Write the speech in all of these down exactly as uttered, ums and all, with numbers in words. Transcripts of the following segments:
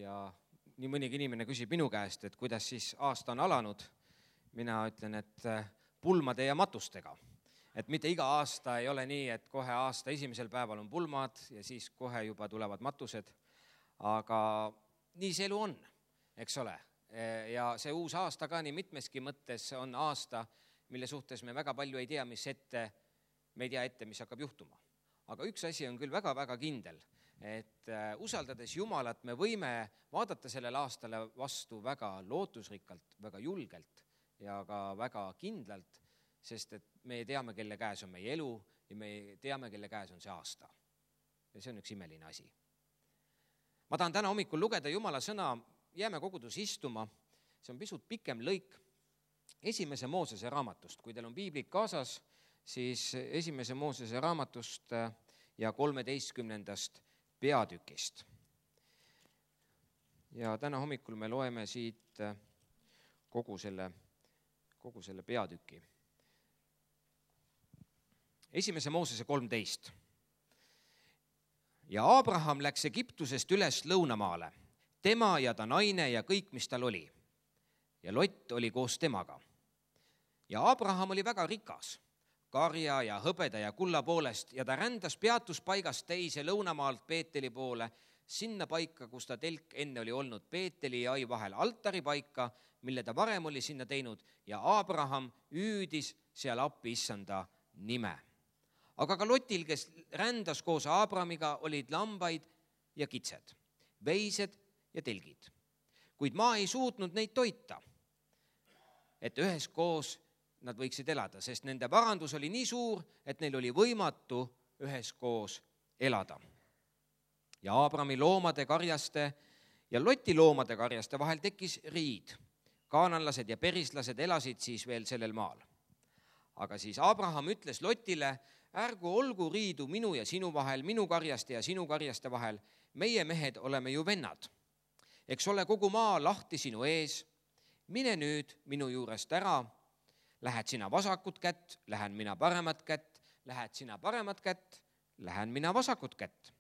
ja nii mõnigi inimene küsib minu käest, et kuidas siis aasta on alanud. Mina ütlen, et pulmade ja matustega. Et mitte iga aasta ei ole nii, et kohe aasta esimesel päeval on pulmad ja siis kohe juba tulevad matused. Aga nii see elu on, eks ole. Ja see uus aasta ka nii mitmeski mõttes on aasta, mille suhtes me väga palju ei tea, mis ette, me ei tea ette, mis hakkab juhtuma. Aga üks asi on küll väga-väga kindel, et usaldades Jumalat me võime vaadata sellel aastale vastu väga lootusrikkalt, väga julgelt ja ka väga kindlalt, sest et me teame, kelle käes on meie elu ja me teame, kelle käes on see aasta. Ja see on üks imeline asi. Ma tahan täna hommikul lugeda Jumala sõna, jääme kogudus istuma, see on pisut pikem lõik esimese Moosese raamatust. Kui teil on piiblik kaasas, siis esimese Moosese raamatust ja kolmeteistkümnendast peatükist. Ja täna hommikul me loeme siit kogu selle, kogu selle peatüki. Esimese Moosese kolmteist. Ja Abraham läks Egiptusest üles lõunamaale, tema ja ta naine ja kõik, mis tal oli. Ja Lot oli koos temaga. Ja Abraham oli väga rikas, karja ja hõbeda ja kulla poolest, ja ta rändas peatuspaigast teise lõunamaalt Peeteli poole, sinna paika, kus ta telk enne oli olnud Peeteli ja ai vahel altari paika, mille ta varem oli sinna teinud, ja Abraham üüdis seal appi issanda nime. Aga ka Lotil, kes rändas koos Abramiga, olid lambaid ja kitsed, veised ja telgid. Kuid maa ei suutnud neid toita, et üheskoos nad võiksid elada, sest nende varandus oli nii suur, et neil oli võimatu üheskoos elada. Ja Abrami loomade karjaste ja Loti loomade karjaste vahel tekkis riid. Kaananlased ja perislased elasid siis veel sellel maal. Aga siis Abraham ütles Lotile, ärgu olgu riidu minu ja sinu vahel, minu karjaste ja sinu karjaste vahel, meie mehed oleme ju vennad. Eks ole kogu maa lahti sinu ees, mine nüüd minu juurest ära, lähed sina vasakut kätt, lähen mina paremat kätt, lähed sina paremat kätt, lähen mina vasakut kätt.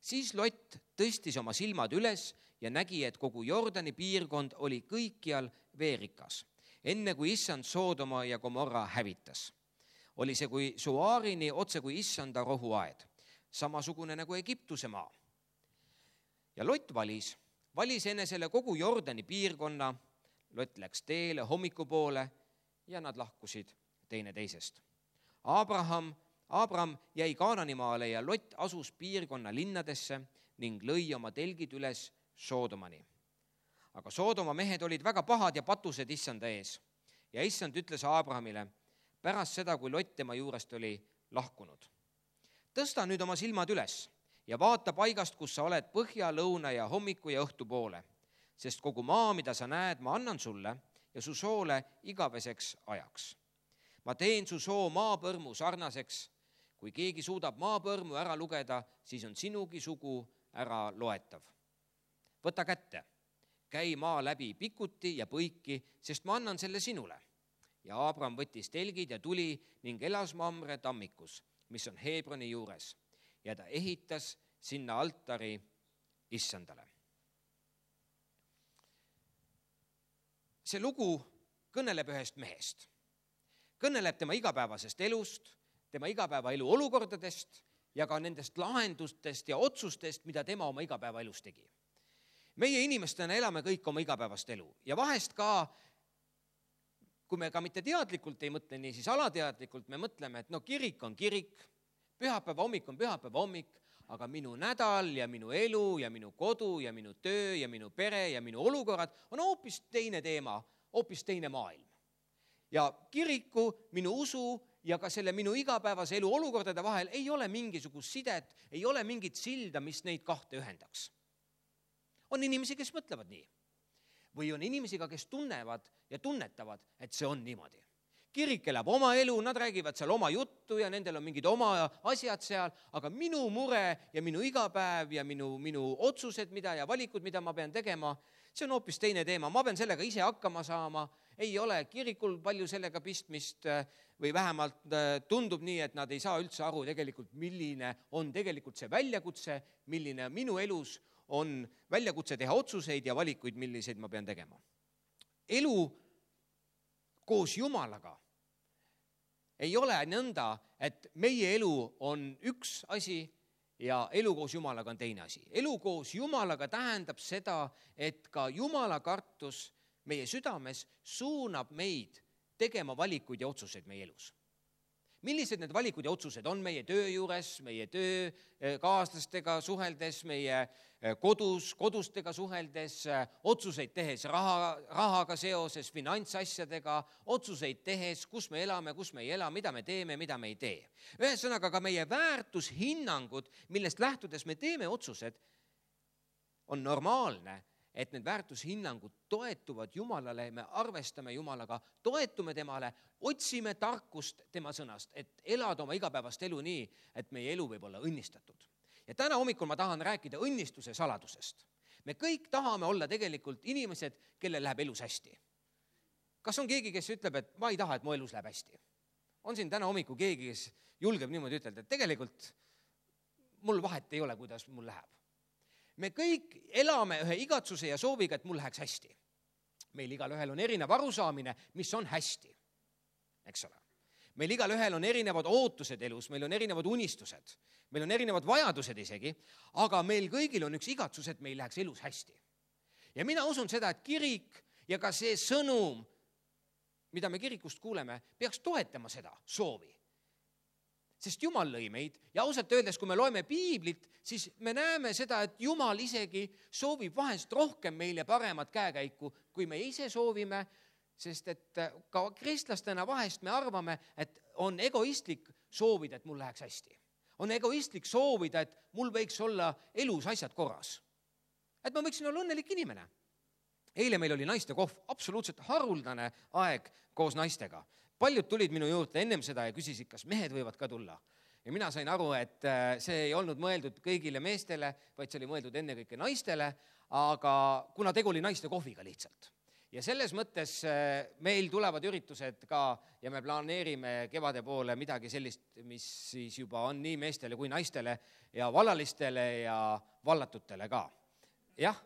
Siis Lot tõstis oma silmad üles ja nägi, et kogu Jordani piirkond oli kõikjal veerikas, enne kui issand Soodoma ja Gomorra hävitas. Oli see kui Suaarini otse kui issanda rohuaed, samasugune nagu Egiptuse maa. Ja Lot valis, valis enesele kogu Jordani piirkonna, Lot läks teele hommikupoole ja nad lahkusid teine teisest. Abraham, Abram jäi Kaananimaale ja Lot asus piirkonna linnadesse ning lõi oma telgid üles Soodomani. Aga Soodoma mehed olid väga pahad ja patused issanda ees. Ja issand ütles Abrahamile, pärast seda, kui Lot tema juurest oli lahkunud. Tõsta nüüd oma silmad üles ja vaata paigast, kus sa oled põhja, lõuna ja hommiku ja õhtu poole, sest kogu maa, mida sa näed, ma annan sulle ja su soole igaveseks ajaks. Ma teen su soo maapõrmu sarnaseks. Kui keegi suudab maapõrmu ära lugeda, siis on sinugi sugu ära loetav. Võta kätte, käi maa läbi pikuti ja põiki, sest ma annan selle sinule. Ja Abram võttis telgid ja tuli ning elas Mamre tammikus, mis on Hebroni juures, ja ta ehitas sinna altari issandale. See lugu kõneleb ühest mehest. Kõneleb tema igapäevasest elust, tema igapäevaelu olukordadest ja ka nendest lahendustest ja otsustest, mida tema oma igapäevaelus tegi. Meie inimestena elame kõik oma igapäevast elu ja vahest ka kui me ka mitte teadlikult ei mõtle nii, siis alateadlikult me mõtleme, et no kirik on kirik, pühapäeva hommik on pühapäeva hommik, aga minu nädal ja minu elu ja minu kodu ja minu töö ja minu pere ja minu olukorrad on hoopis teine teema, hoopis teine maailm. Ja kiriku, minu usu ja ka selle minu igapäevase elu olukordade vahel ei ole mingisugust sidet, ei ole mingit silda, mis neid kahte ühendaks. On inimesi, kes mõtlevad nii. Või on inimesiga, kes tunnevad ja tunnetavad, et see on niimoodi. Kirik elab oma elu, nad räägivad seal oma juttu ja nendel on mingid oma asjad seal, aga minu mure ja minu igapäev ja minu, minu otsused, mida ja valikud, mida ma pean tegema, see on hoopis teine teema. Ma pean sellega ise hakkama saama, ei ole kirikul palju sellega pistmist või vähemalt tundub nii, et nad ei saa üldse aru tegelikult, milline on tegelikult see väljakutse, milline minu elus on väljakutse teha otsuseid ja valikuid, milliseid ma pean tegema. Elu koos Jumalaga ei ole nõnda, et meie elu on üks asi ja elu koos Jumalaga on teine asi. Elu koos Jumalaga tähendab seda, et ka Jumala kartus meie südames suunab meid tegema valikuid ja otsuseid meie elus. Millised need valikud ja otsused on meie töö juures, meie töökaaslastega suheldes, meie kodus, kodustega suheldes, otsuseid tehes raha, rahaga seoses, finantsasjadega, otsuseid tehes, kus me elame, kus me ei ela, mida me teeme, mida me ei tee. Ühesõnaga ka meie väärtushinnangud, millest lähtudes me teeme otsused, on normaalne, et need väärtushinnangud toetuvad Jumalale, me arvestame Jumalaga, toetume temale, otsime tarkust tema sõnast, et elada oma igapäevast elu nii, et meie elu võib olla õnnistatud. Ja täna hommikul ma tahan rääkida õnnistuse saladusest. Me kõik tahame olla tegelikult inimesed, kellel läheb elus hästi. Kas on keegi, kes ütleb, et ma ei taha, et mu elus läheb hästi? On siin täna hommikul keegi, kes julgeb niimoodi ütelda, et tegelikult mul vahet ei ole, kuidas mul läheb. Me kõik elame ühe igatsuse ja sooviga, et mul läheks hästi. Meil igal ühel on erinev arusaamine, mis on hästi, eks ole. Meil igal ühel on erinevad ootused elus, meil on erinevad unistused, meil on erinevad vajadused isegi, aga meil kõigil on üks igatsus, et meil läheks elus hästi. Ja mina usun seda, et kirik ja ka see sõnum, mida me kirikust kuuleme, peaks toetama seda soovi. Sest Jumal lõi meid ja ausalt öeldes, kui me loeme piiblit, siis me näeme seda, et Jumal isegi soovib vahest rohkem meile paremat käekäiku, kui me ise soovime, sest et ka kristlastena vahest me arvame, et on egoistlik soovida, et mul läheks hästi. On egoistlik soovida, et mul võiks olla elus asjad korras. Et ma võiksin olla õnnelik inimene. Eile meil oli naiste kohv, absoluutselt haruldane aeg koos naistega. Paljud tulid minu juurde ennem seda ja küsisid, kas mehed võivad ka tulla. Ja mina sain aru, et see ei olnud mõeldud kõigile meestele, vaid see oli mõeldud enne kõike naistele, aga kuna tegu oli naiste kohviga lihtsalt. Ja selles mõttes meil tulevad üritused ka ja me planeerime kevade poole midagi sellist, mis siis juba on nii meestele kui naistele ja vallalistele ja vallatutele ka. Jah.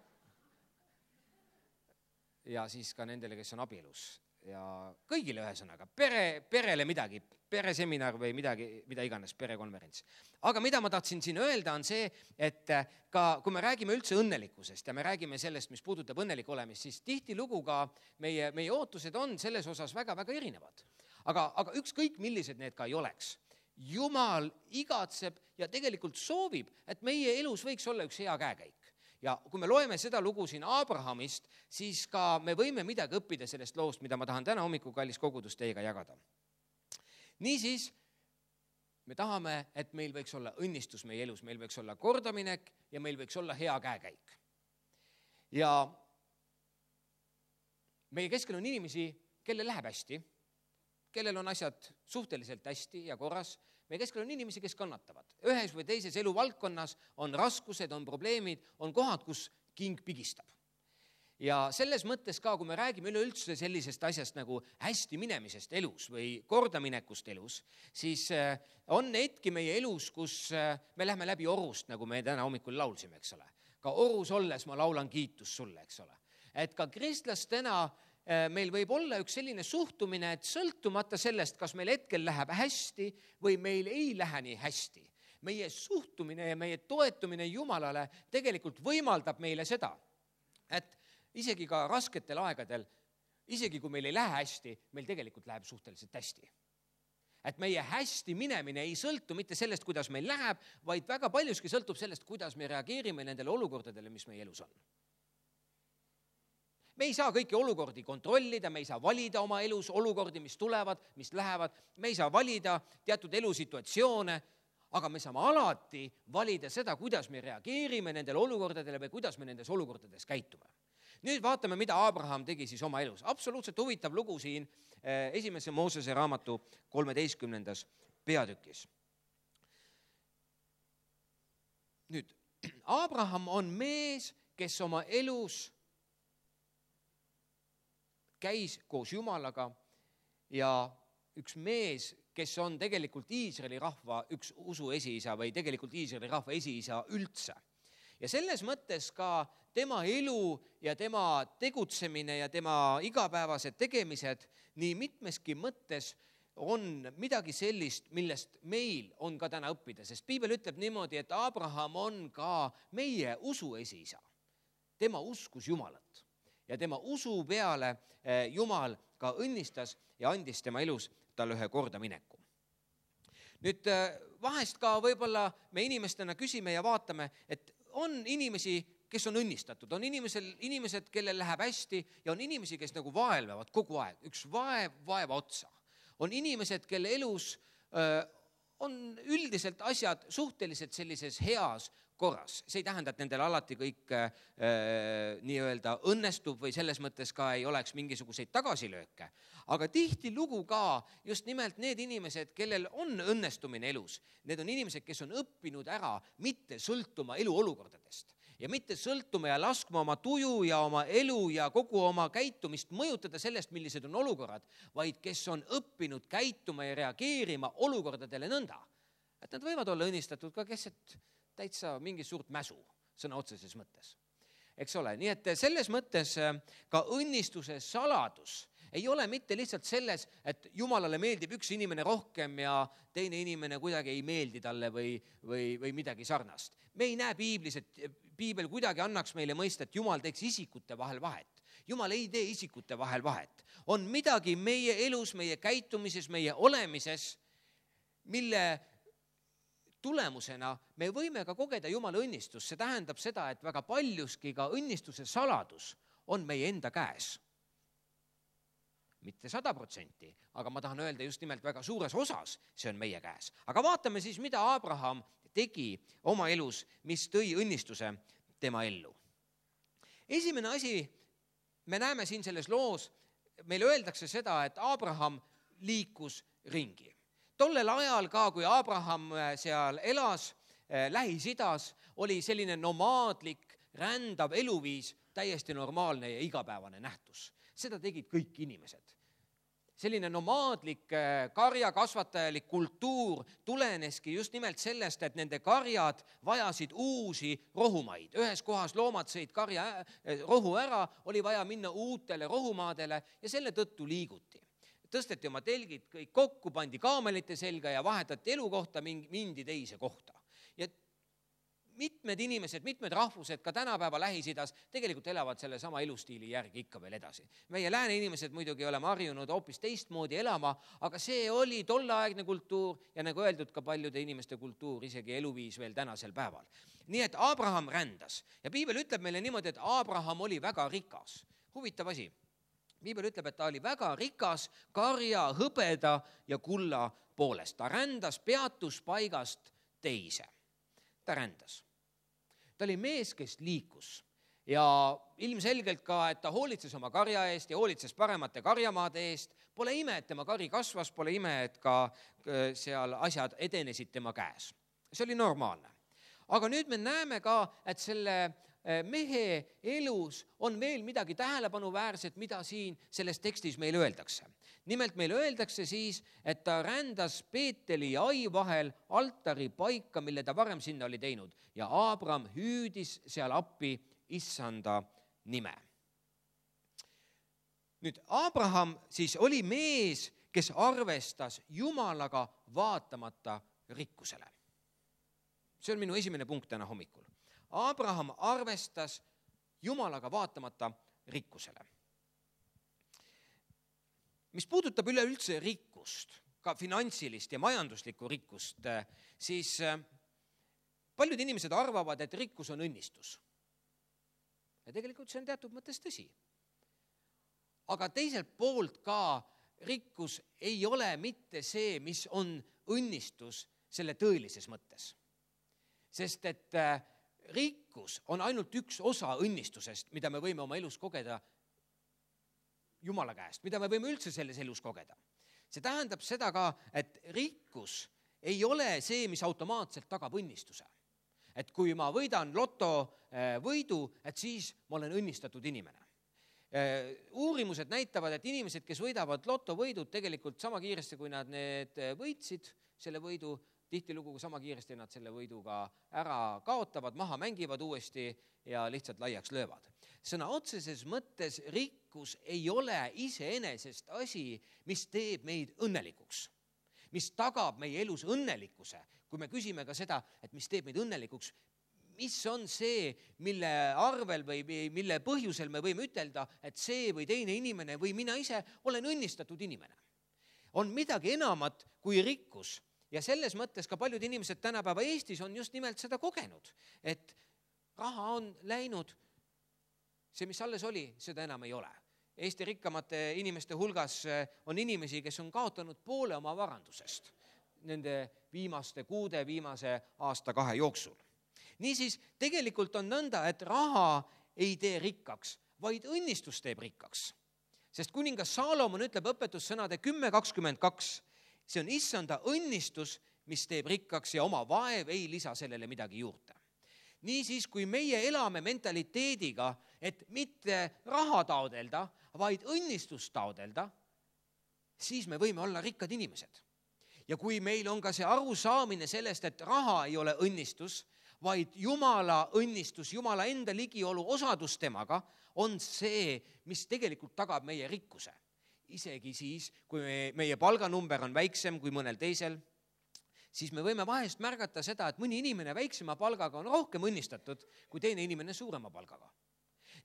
Ja siis ka nendele, kes on abielus. Ja kõigile ühesõnaga, pere, perele midagi, pereseminar või midagi, mida iganes, perekonverents. Aga mida ma tahtsin siin öelda on see, et ka kui me räägime üldse õnnelikkusest ja me räägime sellest, mis puudutab õnnelik olemist, siis tihti lugu ka meie, meie ootused on selles osas väga-väga erinevad. Aga, aga ükskõik millised need ka ei oleks. Jumal igatseb ja tegelikult soovib, et meie elus võiks olla üks hea käekäik. Ja kui me loeme seda lugu siin Abrahamist, siis ka me võime midagi õppida sellest loost, mida ma tahan täna hommikul kallis kogudus teiega jagada. Niisiis, me tahame, et meil võiks olla õnnistus meie elus, meil võiks olla kordaminek ja meil võiks olla hea käekäik. Ja meie keskel on inimesi, kellel läheb hästi, kellel on asjad suhteliselt hästi ja korras. Meie keskel on inimesi, kes kannatavad. Ühes või teises eluvaldkonnas on raskused, on probleemid, on kohad, kus king pigistab. Ja selles mõttes ka, kui me räägime üleüldse sellisest asjast nagu hästi minemisest elus või kordaminekust elus, siis on hetki meie elus, kus me lähme läbi orust, nagu me täna hommikul laulsime, eks ole. Ka orus olles ma laulan kiitus sulle, eks ole. Et ka kristlastena meil võib olla üks selline suhtumine, et sõltumata sellest, kas meil hetkel läheb hästi või meil ei lähe nii hästi. Meie suhtumine ja meie toetumine Jumalale tegelikult võimaldab meile seda, et isegi ka rasketel aegadel, isegi kui meil ei lähe hästi, meil tegelikult läheb suhteliselt hästi. Et meie hästi minemine ei sõltu mitte sellest, kuidas meil läheb, vaid väga paljuski sõltub sellest, kuidas me reageerime nendele olukordadele, mis meie elus on. Me ei saa kõiki olukordi kontrollida, me ei saa valida oma elus olukordi, mis tulevad, mis lähevad, me ei saa valida teatud elusituatsioone, aga me saame alati valida seda, kuidas me reageerime nendele olukordadele või kuidas me nendes olukordades käitume. Nüüd vaatame, mida Abraham tegi siis oma elus. Absoluutselt huvitav lugu siin esimese Moosese raamatu kolmeteistkümnendas peatükis. Nüüd, Abraham on mees, kes oma elus käis koos Jumalaga ja üks mees, kes on tegelikult Iisraeli rahva üks usu esiisa või tegelikult Iisraeli rahva esiisa üldse. ja selles mõttes ka tema elu ja tema tegutsemine ja tema igapäevased tegemised nii mitmeski mõttes on midagi sellist, millest meil on ka täna õppida, sest piibel ütleb niimoodi, et Abraham on ka meie usu esiisa. Tema uskus Jumalat ja tema usu peale Jumal ka õnnistas ja andis tema elus talle ühe korda mineku. Nüüd vahest ka võib-olla me inimestena küsime ja vaatame, et on inimesi, kes on õnnistatud, on inimesel, inimesed, kellel läheb hästi ja on inimesi, kes nagu vaelvevad kogu aeg, üks vaev vaeva otsa. On inimesed, kelle elus öö, on üldiselt asjad suhteliselt sellises heas korras. See ei tähenda, et nendel alati kõik öö, nii-öelda õnnestub või selles mõttes ka ei oleks mingisuguseid tagasilööke. Aga tihti lugu ka just nimelt need inimesed, kellel on õnnestumine elus, need on inimesed, kes on õppinud ära mitte sõltuma eluolukordadest ja mitte sõltuma ja laskma oma tuju ja oma elu ja kogu oma käitumist mõjutada sellest, millised on olukorrad, vaid kes on õppinud käituma ja reageerima olukordadele nõnda, et nad võivad olla õnnistatud ka keset täitsa mingi suurt mäsu sõna otseses mõttes. Eks ole, nii et selles mõttes ka õnnistuse saladus ei ole mitte lihtsalt selles, et Jumalale meeldib üks inimene rohkem ja teine inimene kuidagi ei meeldi talle või, või, või midagi sarnast. Me ei näe piiblis, et piibel kuidagi annaks meile mõista, et Jumal teeks isikute vahel vahet. Jumal ei tee isikute vahel vahet. On midagi meie elus, meie käitumises, meie olemises, mille tulemusena me võime ka kogeda Jumala õnnistust. See tähendab seda, et väga paljuski ka õnnistuse saladus on meie enda käes. Mitte sada protsenti, aga ma tahan öelda just nimelt väga suures osas, see on meie käes. Aga vaatame siis, mida Abraham tegi oma elus, mis tõi õnnistuse tema ellu. Esimene asi, me näeme siin selles loos, meile öeldakse seda, et Abraham liikus ringi. Tollel ajal ka, kui Abraham seal elas Lähis-Idas, oli selline nomaadlik, rändav eluviis täiesti normaalne ja igapäevane nähtus. Seda tegid kõik inimesed. Selline nomaadlik karjakasvatajalik kultuur tuleneski just nimelt sellest, et nende karjad vajasid uusi rohumaid. Ühes kohas loomad sõid karja rohu ära, oli vaja minna uutele rohumaadele ja selle tõttu liiguti. Tõsteti oma telgid kõik kokku, pandi kaamelite selga ja vahetati elukohta, mindi teise kohta. Ja mitmed inimesed, mitmed rahvused ka tänapäeva Lähis-Idas tegelikult elavad selle sama elustiili järgi ikka veel edasi. Meie lääne inimesed muidugi oleme harjunud hoopis teistmoodi elama, aga see oli tolleaegne kultuur ja nagu öeldud ka paljude inimeste kultuur, isegi eluviis veel tänasel päeval. Nii et Abraham rändas ja piibel ütleb meile niimoodi, et Abraham oli väga rikas. Huvitav asi. Piibel ütleb, et ta oli väga rikas karja, hõbeda ja kulla poolest. Ta rändas peatuspaigast teise. Ta rändas. Ta oli mees, kes liikus ja ilmselgelt ka, et ta hoolitses oma karja eest ja hoolitses paremate karjamaade eest. Pole ime, et tema kari kasvas, pole ime, et ka seal asjad edenesid tema käes. See oli normaalne. Aga nüüd me näeme ka, et selle mehe elus on veel midagi tähelepanuväärset, mida siin selles tekstis meile öeldakse. Nimelt meile öeldakse siis, et ta rändas Peeteli ja Ai vahel altari paika, mille ta varem sinna oli teinud ja Abraham hüüdis seal appi issanda nime. Nüüd Abraham siis oli mees, kes arvestas Jumalaga vaatamata rikkusele. See on minu esimene punkt täna hommikul. Abraham arvestas Jumalaga vaatamata rikkusele. Mis puudutab üleüldse rikkust, ka finantsilist ja majanduslikku rikkust, siis paljud inimesed arvavad, et rikkus on õnnistus. Ja tegelikult see on teatud mõttes tõsi. Aga teiselt poolt ka rikkus ei ole mitte see, mis on õnnistus selle tõelises mõttes. Sest et rikkus on ainult üks osa õnnistusest, mida me võime oma elus kogeda Jumala käest, mida me võime üldse selles elus kogeda. See tähendab seda ka, et rikkus ei ole see, mis automaatselt tagab õnnistuse. Et kui ma võidan loto võidu, et siis ma olen õnnistatud inimene. Uurimused näitavad, et inimesed, kes võidavad lotovõidud tegelikult sama kiiresti, kui nad need võitsid, selle võidu, tihtilugu sama kiiresti nad selle võiduga ära kaotavad, maha mängivad uuesti ja lihtsalt laiaks löövad. Sõna otseses mõttes rikkus ei ole iseenesest asi, mis teeb meid õnnelikuks, mis tagab meie elus õnnelikkuse. Kui me küsime ka seda, et mis teeb meid õnnelikuks, mis on see, mille arvel või mille põhjusel me võime ütelda, et see või teine inimene või mina ise olen õnnistatud inimene. On midagi enamat kui rikkus ja selles mõttes ka paljud inimesed tänapäeva Eestis on just nimelt seda kogenud, et raha on läinud, see, mis alles oli, seda enam ei ole. Eesti rikkamate inimeste hulgas on inimesi, kes on kaotanud poole oma varandusest nende viimaste kuude, viimase aasta kahe jooksul. Niisiis, tegelikult on nõnda, et raha ei tee rikkaks, vaid õnnistus teeb rikkaks. Sest kuningas Saalomon ütleb õpetussõnade kümme kakskümmend kaks, see on issanda õnnistus, mis teeb rikkaks ja oma vaev ei lisa sellele midagi juurde. Niisiis, kui meie elame mentaliteediga, et mitte raha taodelda, vaid õnnistust taodelda, siis me võime olla rikkad inimesed. Ja kui meil on ka see arusaamine sellest, et raha ei ole õnnistus, vaid Jumala õnnistus, Jumala enda ligiolu osadus temaga, on see, mis tegelikult tagab meie rikkuse. Isegi siis, kui meie palganumber on väiksem kui mõnel teisel, siis me võime vahest märgata seda, et mõni inimene väiksema palgaga on rohkem õnnistatud kui teine inimene suurema palgaga.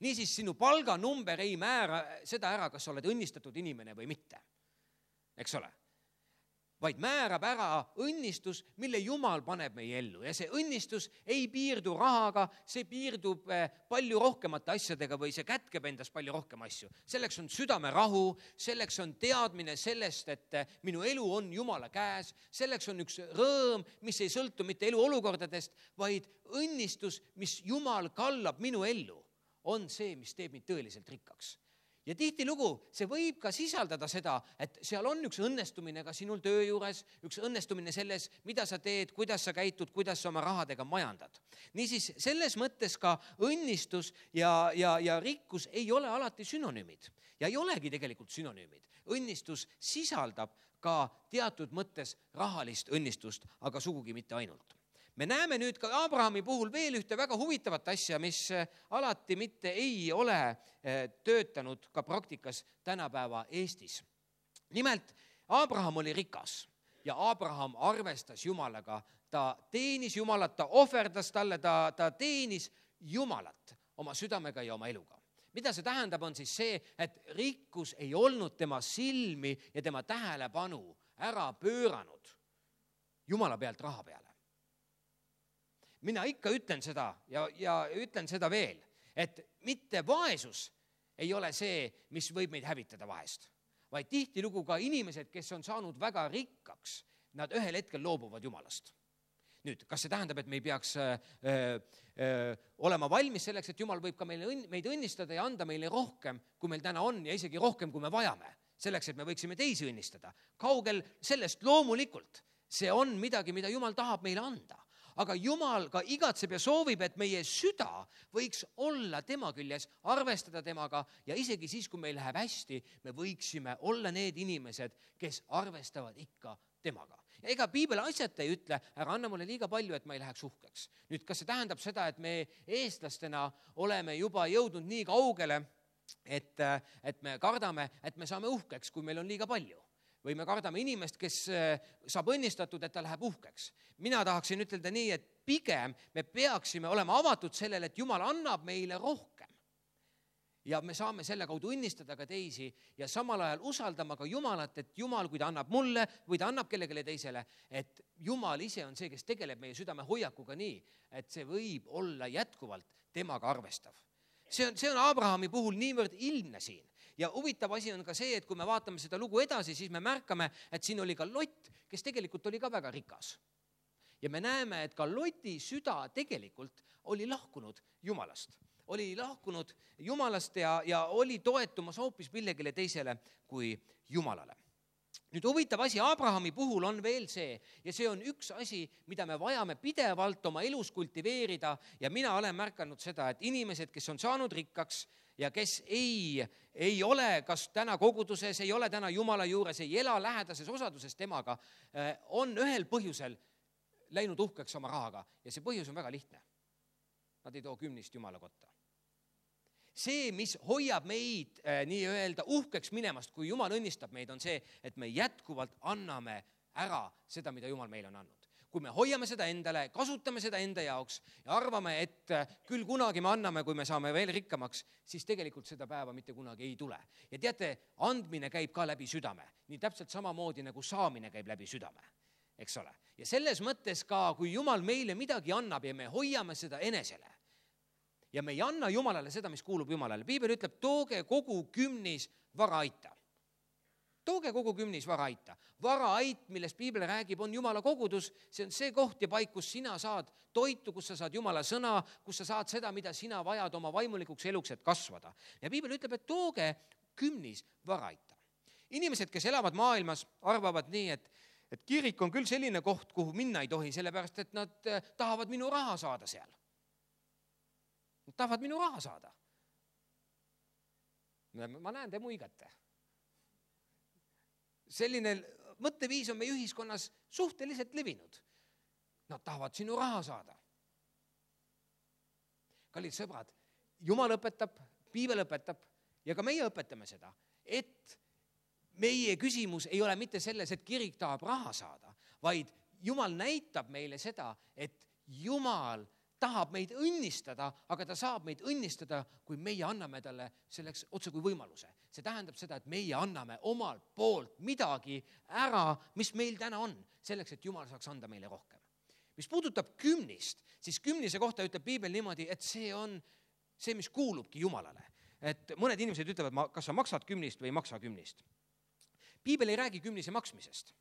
Niisiis, sinu palganumber ei määra seda ära, kas sa oled õnnistatud inimene või mitte. Eks ole? Vaid määrab ära õnnistus, mille Jumal paneb meie ellu. Ja see õnnistus ei piirdu rahaga, see piirdub palju rohkemate asjadega või see kätkeb endas palju rohkem asju. Selleks on südame rahu, selleks on teadmine sellest, et minu elu on Jumala käes, selleks on üks rõõm, mis ei sõltu mitte elu olukordadest, vaid õnnistus, mis Jumal kallab minu ellu, on see, mis teeb mind tõeliselt rikkaks. Ja tihtilugu see võib ka sisaldada seda, et seal on üks õnnestumine ka sinul töö juures, üks õnnestumine selles, mida sa teed, kuidas sa käitud, kuidas sa oma rahadega majandad. Niisiis, selles mõttes ka õnnistus ja, ja, ja rikkus ei ole alati synonüümid ja ei olegi tegelikult synonüümid. Õnnistus sisaldab ka teatud mõttes rahalist õnnistust, aga sugugi mitte ainult. Me näeme nüüd ka Abrahami puhul veel ühte väga huvitavat asja, mis alati mitte ei ole töötanud ka praktikas tänapäeva Eestis. Nimelt, Abraham oli rikas ja Abraham arvestas Jumalaga, ta teenis Jumalat, ta ohverdas talle, ta, ta teenis Jumalat oma südamega ja oma eluga. Mida see tähendab, on siis see, et rikkus ei olnud tema silmi ja tema tähelepanu ära pööranud Jumala pealt raha peale. Mina ikka ütlen seda ja, ja ütlen seda veel, et mitte vaesus ei ole see, mis võib meid hävitada vahest, vaid tihtilugu ka inimesed, kes on saanud väga rikkaks, nad ühel hetkel loobuvad Jumalast. Nüüd, kas see tähendab, et me ei peaks öö, öö, olema valmis selleks, et Jumal võib ka meile, meid õnnistada ja anda meile rohkem, kui meil täna on ja isegi rohkem, kui me vajame, selleks, et me võiksime teisi õnnistada. Kaugel sellest loomulikult, see on midagi, mida Jumal tahab meile anda. Aga Jumal ka igatseb ja soovib, et meie süda võiks olla tema küljes, arvestada temaga ja isegi siis, kui meil läheb hästi, me võiksime olla need inimesed, kes arvestavad ikka temaga. Ja ega piibel asjata ei ütle, ära anna mulle liiga palju, et ma ei läheks uhkeks. Nüüd, kas see tähendab seda, et me eestlastena oleme juba jõudnud nii kaugele, et, et me kardame, et me saame uhkeks, kui meil on liiga palju? Või me kardame inimest, kes saab õnnistatud, et ta läheb uhkeks. Mina tahaksin ütelda nii, et pigem me peaksime olema avatud sellele, et Jumal annab meile rohkem. Ja me saame selle kaudu õnnistada ka teisi ja samal ajal usaldama ka Jumalat, et Jumal, kui ta annab mulle või ta annab kellegile teisele, et Jumal ise on see, kes tegeleb meie südame hoiakuga nii, et see võib olla jätkuvalt temaga arvestav. See on, see on Abrahami puhul niivõrd ilmne siin. Ja huvitav asi on ka see, et kui me vaatame seda lugu edasi, siis me märkame, et siin oli ka Lott, kes tegelikult oli ka väga rikas. Ja me näeme, et ka Loti süda tegelikult oli lahkunud Jumalast. Oli lahkunud Jumalast ja, ja oli toetumas hoopis millegile teisele kui Jumalale. Nüüd huvitav asi Abrahami puhul on veel see, ja see on üks asi, mida me vajame pidevalt oma elus kultiveerida ja mina olen märkanud seda, et inimesed, kes on saanud rikkaks ja kes ei, ei ole kas täna koguduses, ei ole täna Jumala juures, ei ela lähedases osaduses temaga, on ühel põhjusel läinud uhkeks oma rahaga ja see põhjus on väga lihtne. Nad ei too kümnist Jumala kotta. See, mis hoiab meid äh, nii-öelda uhkeks minemast, kui Jumal õnnistab meid, on see, et me jätkuvalt anname ära seda, mida Jumal meile on andnud. Kui me hoiame seda endale, kasutame seda enda jaoks ja arvame, et äh, küll kunagi me anname, kui me saame veel rikkamaks, siis tegelikult seda päeva mitte kunagi ei tule. Ja teate, andmine käib ka läbi südame, nii täpselt samamoodi nagu saamine käib läbi südame, eks ole. Ja selles mõttes ka, kui Jumal meile midagi annab ja me hoiame seda enesele, ja me ei anna Jumalale seda, mis kuulub Jumalale. Piibel ütleb, tooge kogu kümnis varaaita. Tooge kogu kümnis varaaita. Varaait, millest Piibel räägib, on Jumala kogudus. See on see koht ja paik, kus sina saad toitu, kus sa saad Jumala sõna, kus sa saad seda, mida sina vajad oma vaimulikuks eluks, et kasvada. Ja Piibel ütleb, et tooge kümnis varaaita. Inimesed, kes elavad maailmas, arvavad nii, et, et kirik on küll selline koht, kuhu minna ei tohi, sellepärast, et nad tahavad minu raha saada seal. Nad tahavad minu raha saada. Ma näen, te muigate. Selline mõtteviis on meie ühiskonnas suhteliselt levinud. Nad tahavad sinu raha saada. Kallid sõbrad, Jumal õpetab, Piibel õpetab ja ka meie õpetame seda, et meie küsimus ei ole mitte selles, et kirik tahab raha saada, vaid Jumal näitab meile seda, et Jumal tahab meid õnnistada, aga ta saab meid õnnistada, kui meie anname talle selleks otse kui võimaluse. See tähendab seda, et meie anname omalt poolt midagi ära, mis meil täna on, selleks, et Jumal saaks anda meile rohkem. Mis puudutab kümnist, siis kümnise kohta ütleb Piibel niimoodi, et see on see, mis kuulubki Jumalale. Et mõned inimesed ütlevad, kas sa maksad kümnist või ei maksa kümnist. Piibel ei räägi kümnise maksmisest.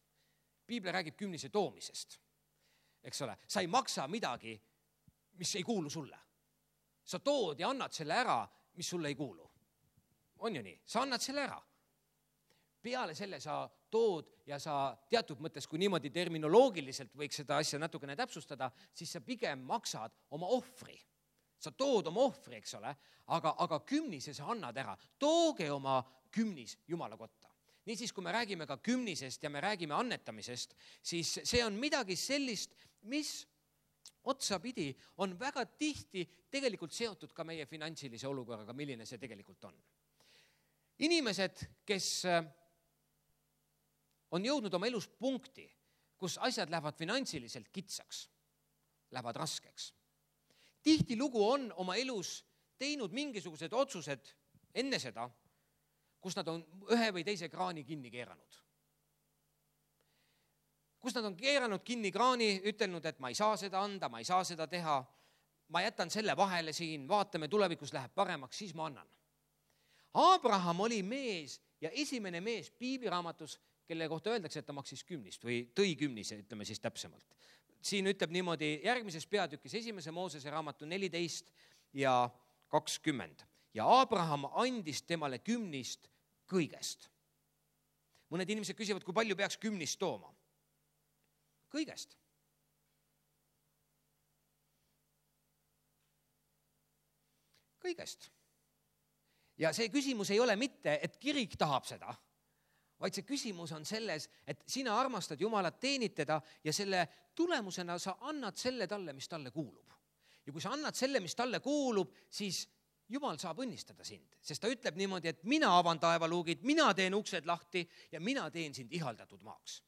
Piibel räägib kümnise toomisest. Eks ole, sa ei maksa midagi, mis ei kuulu sulle. Sa tood ja annad selle ära, mis sulle ei kuulu. On ju nii? Sa annad selle ära. Peale selle sa tood ja sa teatud mõttes, kui niimoodi terminoloogiliselt võiks seda asja natukene täpsustada, siis sa pigem maksad oma ohvri. Sa tood oma ohvri, eks ole, aga, aga kümnise sa annad ära. Tooge oma kümnis Jumala kotta. Niisiis, kui me räägime ka kümnisest ja me räägime annetamisest, siis see on midagi sellist, mis otsapidi on väga tihti tegelikult seotud ka meie finantsilise olukorraga, milline see tegelikult on. Inimesed, kes on jõudnud oma elus punkti, kus asjad lähevad finantsiliselt kitsaks, lähevad raskeks. Tihti lugu on oma elus teinud mingisugused otsused enne seda, kus nad on ühe või teise kraani kinni keeranud. Kus nad on keeranud kinni kraani, ütelnud, et ma ei saa seda anda, ma ei saa seda teha, ma jätan selle vahele siin, vaatame, tulevikus läheb paremaks, siis ma annan. Abraham oli mees ja esimene mees Piibiraamatus, kelle kohta öeldakse, et ta maksis kümnist või tõi kümnise, ütleme siis täpsemalt. Siin ütleb niimoodi järgmises peatükis esimese Moosese raamatu neliteist ja kakskümmend. Ja Abraham andis temale kümnist kõigest. Mõned inimesed küsivad, kui palju peaks kümnist tooma. Kõigest. Kõigest. Ja see küsimus ei ole mitte, et kirik tahab seda, vaid see küsimus on selles, et sina armastad Jumalat, teenid teda ja selle tulemusena sa annad selle talle, mis talle kuulub. Ja kui sa annad selle, mis talle kuulub, siis Jumal saab õnnistada sind, sest ta ütleb niimoodi, et mina avan taevaluugid, mina teen uksed lahti ja mina teen sind ihaldatud maaks.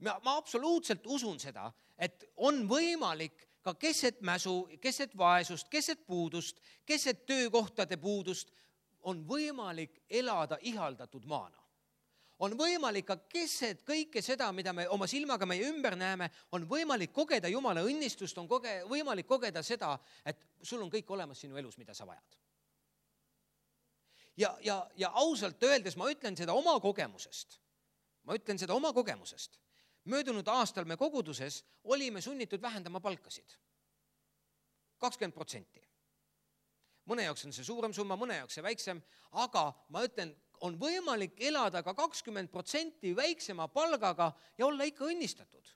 Ma, ma absoluutselt usun seda, et on võimalik ka keset mäsu, keset vaesust, keset puudust, keset töökohtade puudust, on võimalik elada ihaldatud maana. On võimalik ka keset kõike seda, mida me oma silmaga meie ümber näeme, on võimalik kogeda Jumala õnnistust, on koge, võimalik kogeda seda, et sul on kõik olemas sinu elus, mida sa vajad. Ja, ja, ja ausalt öeldes ma ütlen seda oma kogemusest. Ma ütlen seda oma kogemusest. Möödunud aastal me koguduses olime sunnitud vähendama palkasid. kakskümmend protsenti. Mõne jaoks on see suurem summa, mõne jaoks see väiksem, aga ma ütlen, on võimalik elada ka kakskümmend protsenti väiksema palgaga ja olla ikka õnnistatud.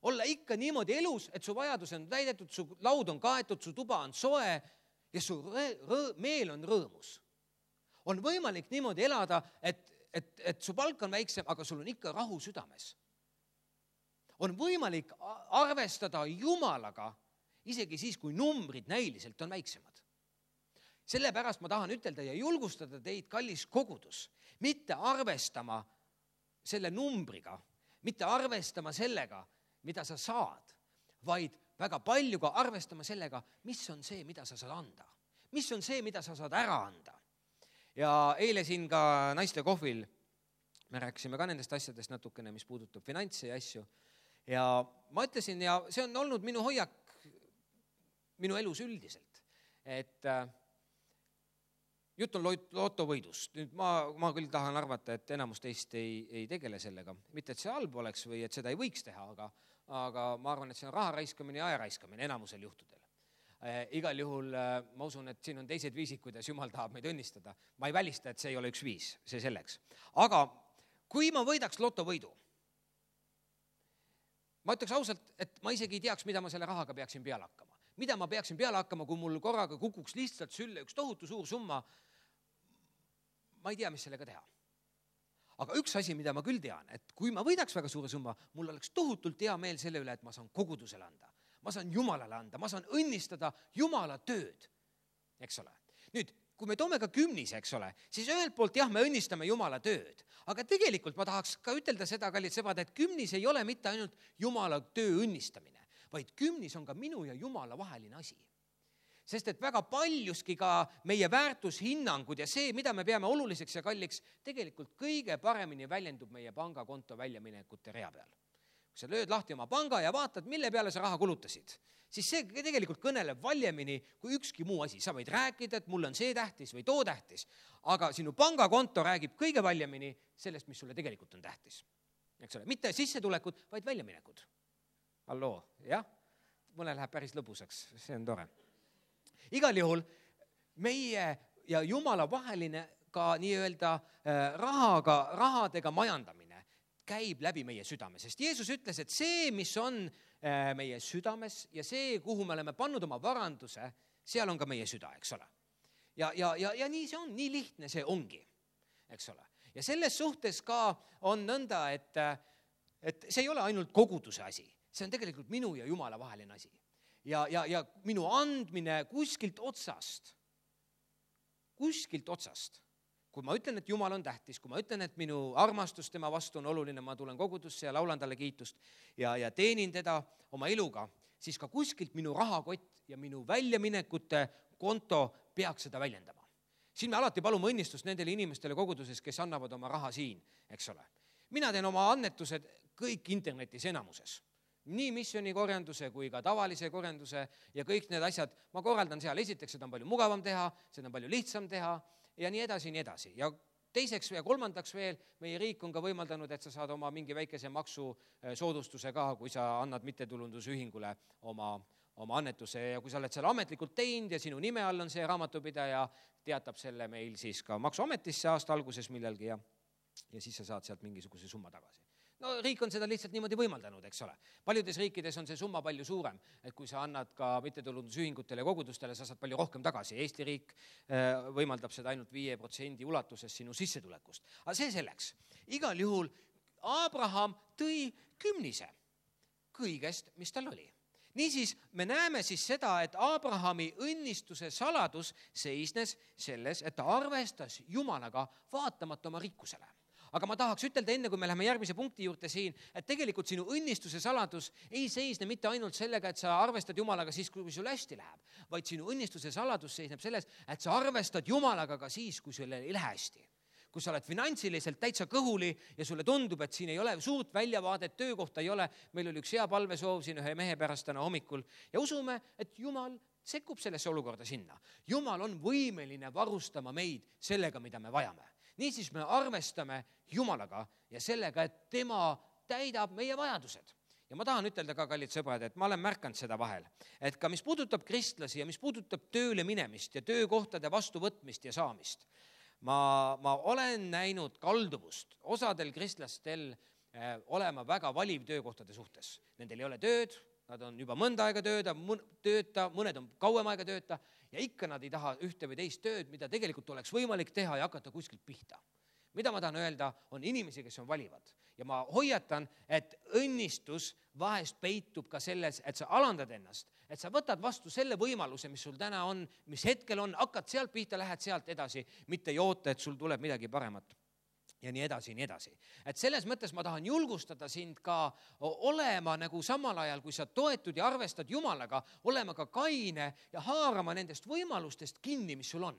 Olla ikka niimoodi elus, et su vajadus on täidetud, su laud on kaetud, su tuba on soe ja su rõ-, rõ- meel on rõõmus. On võimalik niimoodi elada, et, et, et su palk on väiksem, aga sul on ikka rahu südames. on võimalik arvestada Jumalaga isegi siis, kui numbrid näiliselt on väiksemad. Sellepärast ma tahan ütelda ja julgustada teid, kallis kogudus, mitte arvestama selle numbriga, mitte arvestama sellega, mida sa saad, vaid väga palju ka arvestama sellega, mis on see, mida sa saad anda. Mis on see, mida sa saad ära anda. Ja eile siin ka naiste kohvil me rääkisime ka nendest asjadest natukene, mis puudutab finantse ja asju. Ja ma ütlesin, ja see on olnud minu hoiak minu elus üldiselt, et jutt on lotovõidust. Nüüd ma, ma küll tahan arvata, et enamus teist ei, ei tegele sellega. Mitte, et see halb oleks või et seda ei võiks teha, aga, aga ma arvan, et see on raha raiskamine ja aja raiskamine enamusel juhtudel. Eh, igal juhul ma usun, et siin on teised viisid, kuidas Jumal tahab meid õnnistada. Ma ei välista, et see ei ole üks viis, see selleks. Aga kui ma võidaks lotovõidu, ma ütleks ausalt, et ma isegi ei teaks, mida ma selle rahaga peaksin peale hakkama. Mida ma peaksin peale hakkama, kui mul korraga kukuks lihtsalt sülle üks tohutu suur summa. Ma ei tea, mis sellega teha. Aga üks asi, mida ma küll tean, et kui ma võidaks väga suure summa, mul oleks tohutult hea meel selle üle, et ma saan kogudusele anda. Ma saan Jumalale anda, ma saan õnnistada Jumala tööd, eks ole. Nüüd, kui me toome ka kümnise, eks ole, siis ühelt poolt jah, me õnnistame Jumala tööd. Aga tegelikult ma tahaks ka ütelda seda, kallid sõbrad, et kümnis ei ole mitte ainult Jumala töö õnnistamine, vaid kümnis on ka minu ja Jumala vaheline asi. Sest et väga paljuski ka meie väärtushinnangud ja see, mida me peame oluliseks ja kalliks, tegelikult kõige paremini väljendub meie pangakonto väljaminekute rea peal. Kui sa lööd lahti oma panga ja vaatad, mille peale sa raha kulutasid, siis see tegelikult kõneleb valjemini kui ükski muu asi. Sa võid rääkida, et mul on see tähtis või too tähtis, aga sinu pangakonto räägib kõige valjemini sellest, mis sulle tegelikult on tähtis. Eks ole, mitte sissetulekud, vaid väljaminekud. Halloo, jah? Mõne läheb päris lõbusaks, see on tore. Igal juhul meie ja Jumala vaheline ka nii-öelda rahaga, rahadega majandamine käib läbi meie südame, sest Jeesus ütles, et see, mis on meie südames ja see, kuhu me oleme pannud oma varanduse, seal on ka meie süda, eks ole. Ja, ja, ja, ja nii see on, nii lihtne see ongi, eks ole. Ja selles suhtes ka on nõnda, et, et see ei ole ainult koguduse asi, see on tegelikult minu ja Jumala vaheline asi. Ja, ja, ja minu andmine kuskilt otsast, kuskilt otsast. Kui ma ütlen, et Jumal on tähtis, kui ma ütlen, et minu armastus tema vastu on oluline, ma tulen kogudusse ja laulan talle kiitust ja, ja teenin teda oma eluga, siis ka kuskilt minu rahakott ja minu väljaminekute konto peaks seda väljendama. Siin me alati palume õnnistust nendele inimestele koguduses, kes annavad oma raha siin, eks ole. Mina teen oma annetused kõik internetis enamuses. Nii missiooni korjanduse kui ka tavalise korjanduse ja kõik need asjad ma korraldan seal. Esiteks, seda on palju mugavam teha, seda on palju lihtsam teha ja nii edasi, nii edasi. Ja teiseks ja kolmandaks veel, meie riik on ka võimaldanud, et sa saad oma mingi väikese maksu soodustuse ka, kui sa annad mittetulundusühingule oma, oma annetuse ja kui sa oled seal ametlikult teinud ja sinu nime all on see raamatupidaja, teatab selle meil siis ka maksuametisse aasta alguses millalgi ja, ja siis sa saad sealt mingisuguse summa tagasi. No riik on seda lihtsalt niimoodi võimaldanud, eks ole. Paljudes riikides on see summa palju suurem, et kui sa annad ka mittetulundusühingutele ja kogudustele, sa saad palju rohkem tagasi. Eesti riik võimaldab seda ainult viie protsendi ulatuses sinu sissetulekust. Aga see selleks. Igal juhul Abraham tõi kümnise kõigest, mis tal oli. Niisiis me näeme siis seda, et Abrahami õnnistuse saladus seisnes selles, et ta arvestas Jumalaga vaatamata oma rikkusele. Aga ma tahaks ütelda enne, kui me läheme järgmise punkti juurde siin, et tegelikult sinu õnnistuse saladus ei seisne mitte ainult sellega, et sa arvestad Jumalaga siis, kui sul hästi läheb, vaid sinu õnnistuse saladus seisneb selles, et sa arvestad Jumalaga ka siis, kui sul ei lähe hästi. Kui sa oled finantsiliselt täitsa kõhuli ja sulle tundub, et siin ei ole suurt väljavaadet, töökohta ei ole, meil oli üks hea palvesoov siin ühe mehe pärast täna hommikul ja usume, et Jumal sekkub sellesse olukorda sinna. Jumal on võimeline varustama meid sellega, mida me vajame. Niisiis me arvestame Jumalaga ja sellega, et tema täidab meie vajadused. Ja ma tahan ütelda ka, kallid sõbrad, et ma olen märkanud seda vahel, et ka mis puudutab kristlasi ja mis puudutab tööle minemist ja töökohtade vastuvõtmist ja saamist, ma, ma olen näinud kalduvust osadel kristlastel eh, olema väga valiv töökohtade suhtes. Nendel ei ole tööd, nad on juba mõnda aega tööda, tööta, mõned on kauem aega tööta ja ikka nad ei taha ühte või teist tööd, mida tegelikult oleks võimalik teha ja hakata kuskilt pihta. Mida ma tahan öelda, on inimesi, kes on valivad. ja ma hoiatan, et õnnistus vahest peitub ka selles, et sa alandad ennast, et sa võtad vastu selle võimaluse, mis sul täna on, mis hetkel on, hakkad sealt pihta, lähed sealt edasi, mitte ei oota, et sul tuleb midagi paremat. Ja nii edasi, nii edasi. Et selles mõttes ma tahan julgustada sind ka olema nagu samal ajal, kui sa toetud ja arvestad Jumalaga, olema ka kaine ja haarama nendest võimalustest kinni, mis sul on.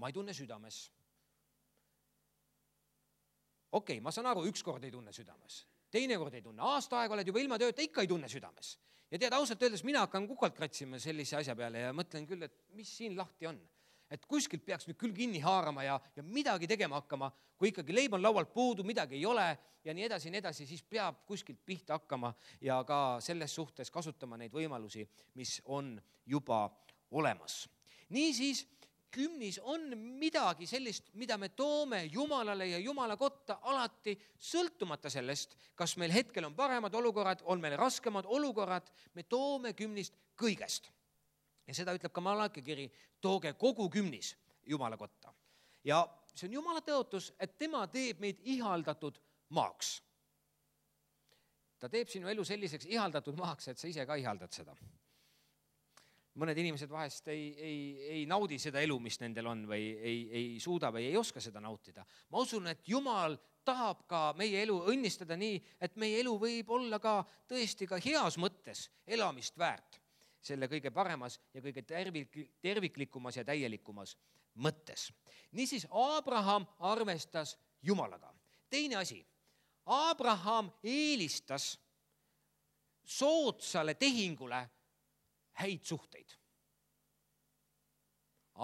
Ma ei tunne südames. Okei, ma saan aru, üks kord ei tunne südames. Teine kord ei tunne. Aasta aega oled juba ilma tööta, ikka ei tunne südames. Ja tead, ausalt öeldes mina hakkan kukalt kratsima sellise asja peale ja mõtlen küll, et mis siin lahti on. Et kuskilt peaks nüüd küll kinni haarama ja, ja midagi tegema hakkama, kui ikkagi leib on laualt puudu, midagi ei ole ja nii edasi, nii edasi, siis peab kuskilt pihta hakkama ja ka selles suhtes kasutama neid võimalusi, mis on juba olemas. Niisiis, kümnis on midagi sellist, mida me toome Jumalale ja Jumala kotta alati sõltumata sellest, kas meil hetkel on paremad olukorrad, on meil raskemad olukorrad, me toome kümnist kõigest. Ja seda ütleb ka Malachi kiri, tooge kogu kümnis Jumala kotta. Ja see on Jumala tõotus, et tema teeb meid ihaldatud maaks. Ta teeb sinu elu selliseks ihaldatud maaks, et sa ise ka ihaldad seda. Mõned inimesed vahest ei, ei, ei naudi seda elu, mis nendel on või ei, ei suuda või ei oska seda nautida. Ma usun, et Jumal tahab ka meie elu õnnistada nii, et meie elu võib olla ka tõesti ka heas mõttes elamist väärt. Selle kõige paremas ja kõige tervik, terviklikumas ja täielikumas mõttes. Niisiis, Abraham arvestas Jumalaga. Teine asi, Abraham eelistas soodsale tehingule häid suhteid.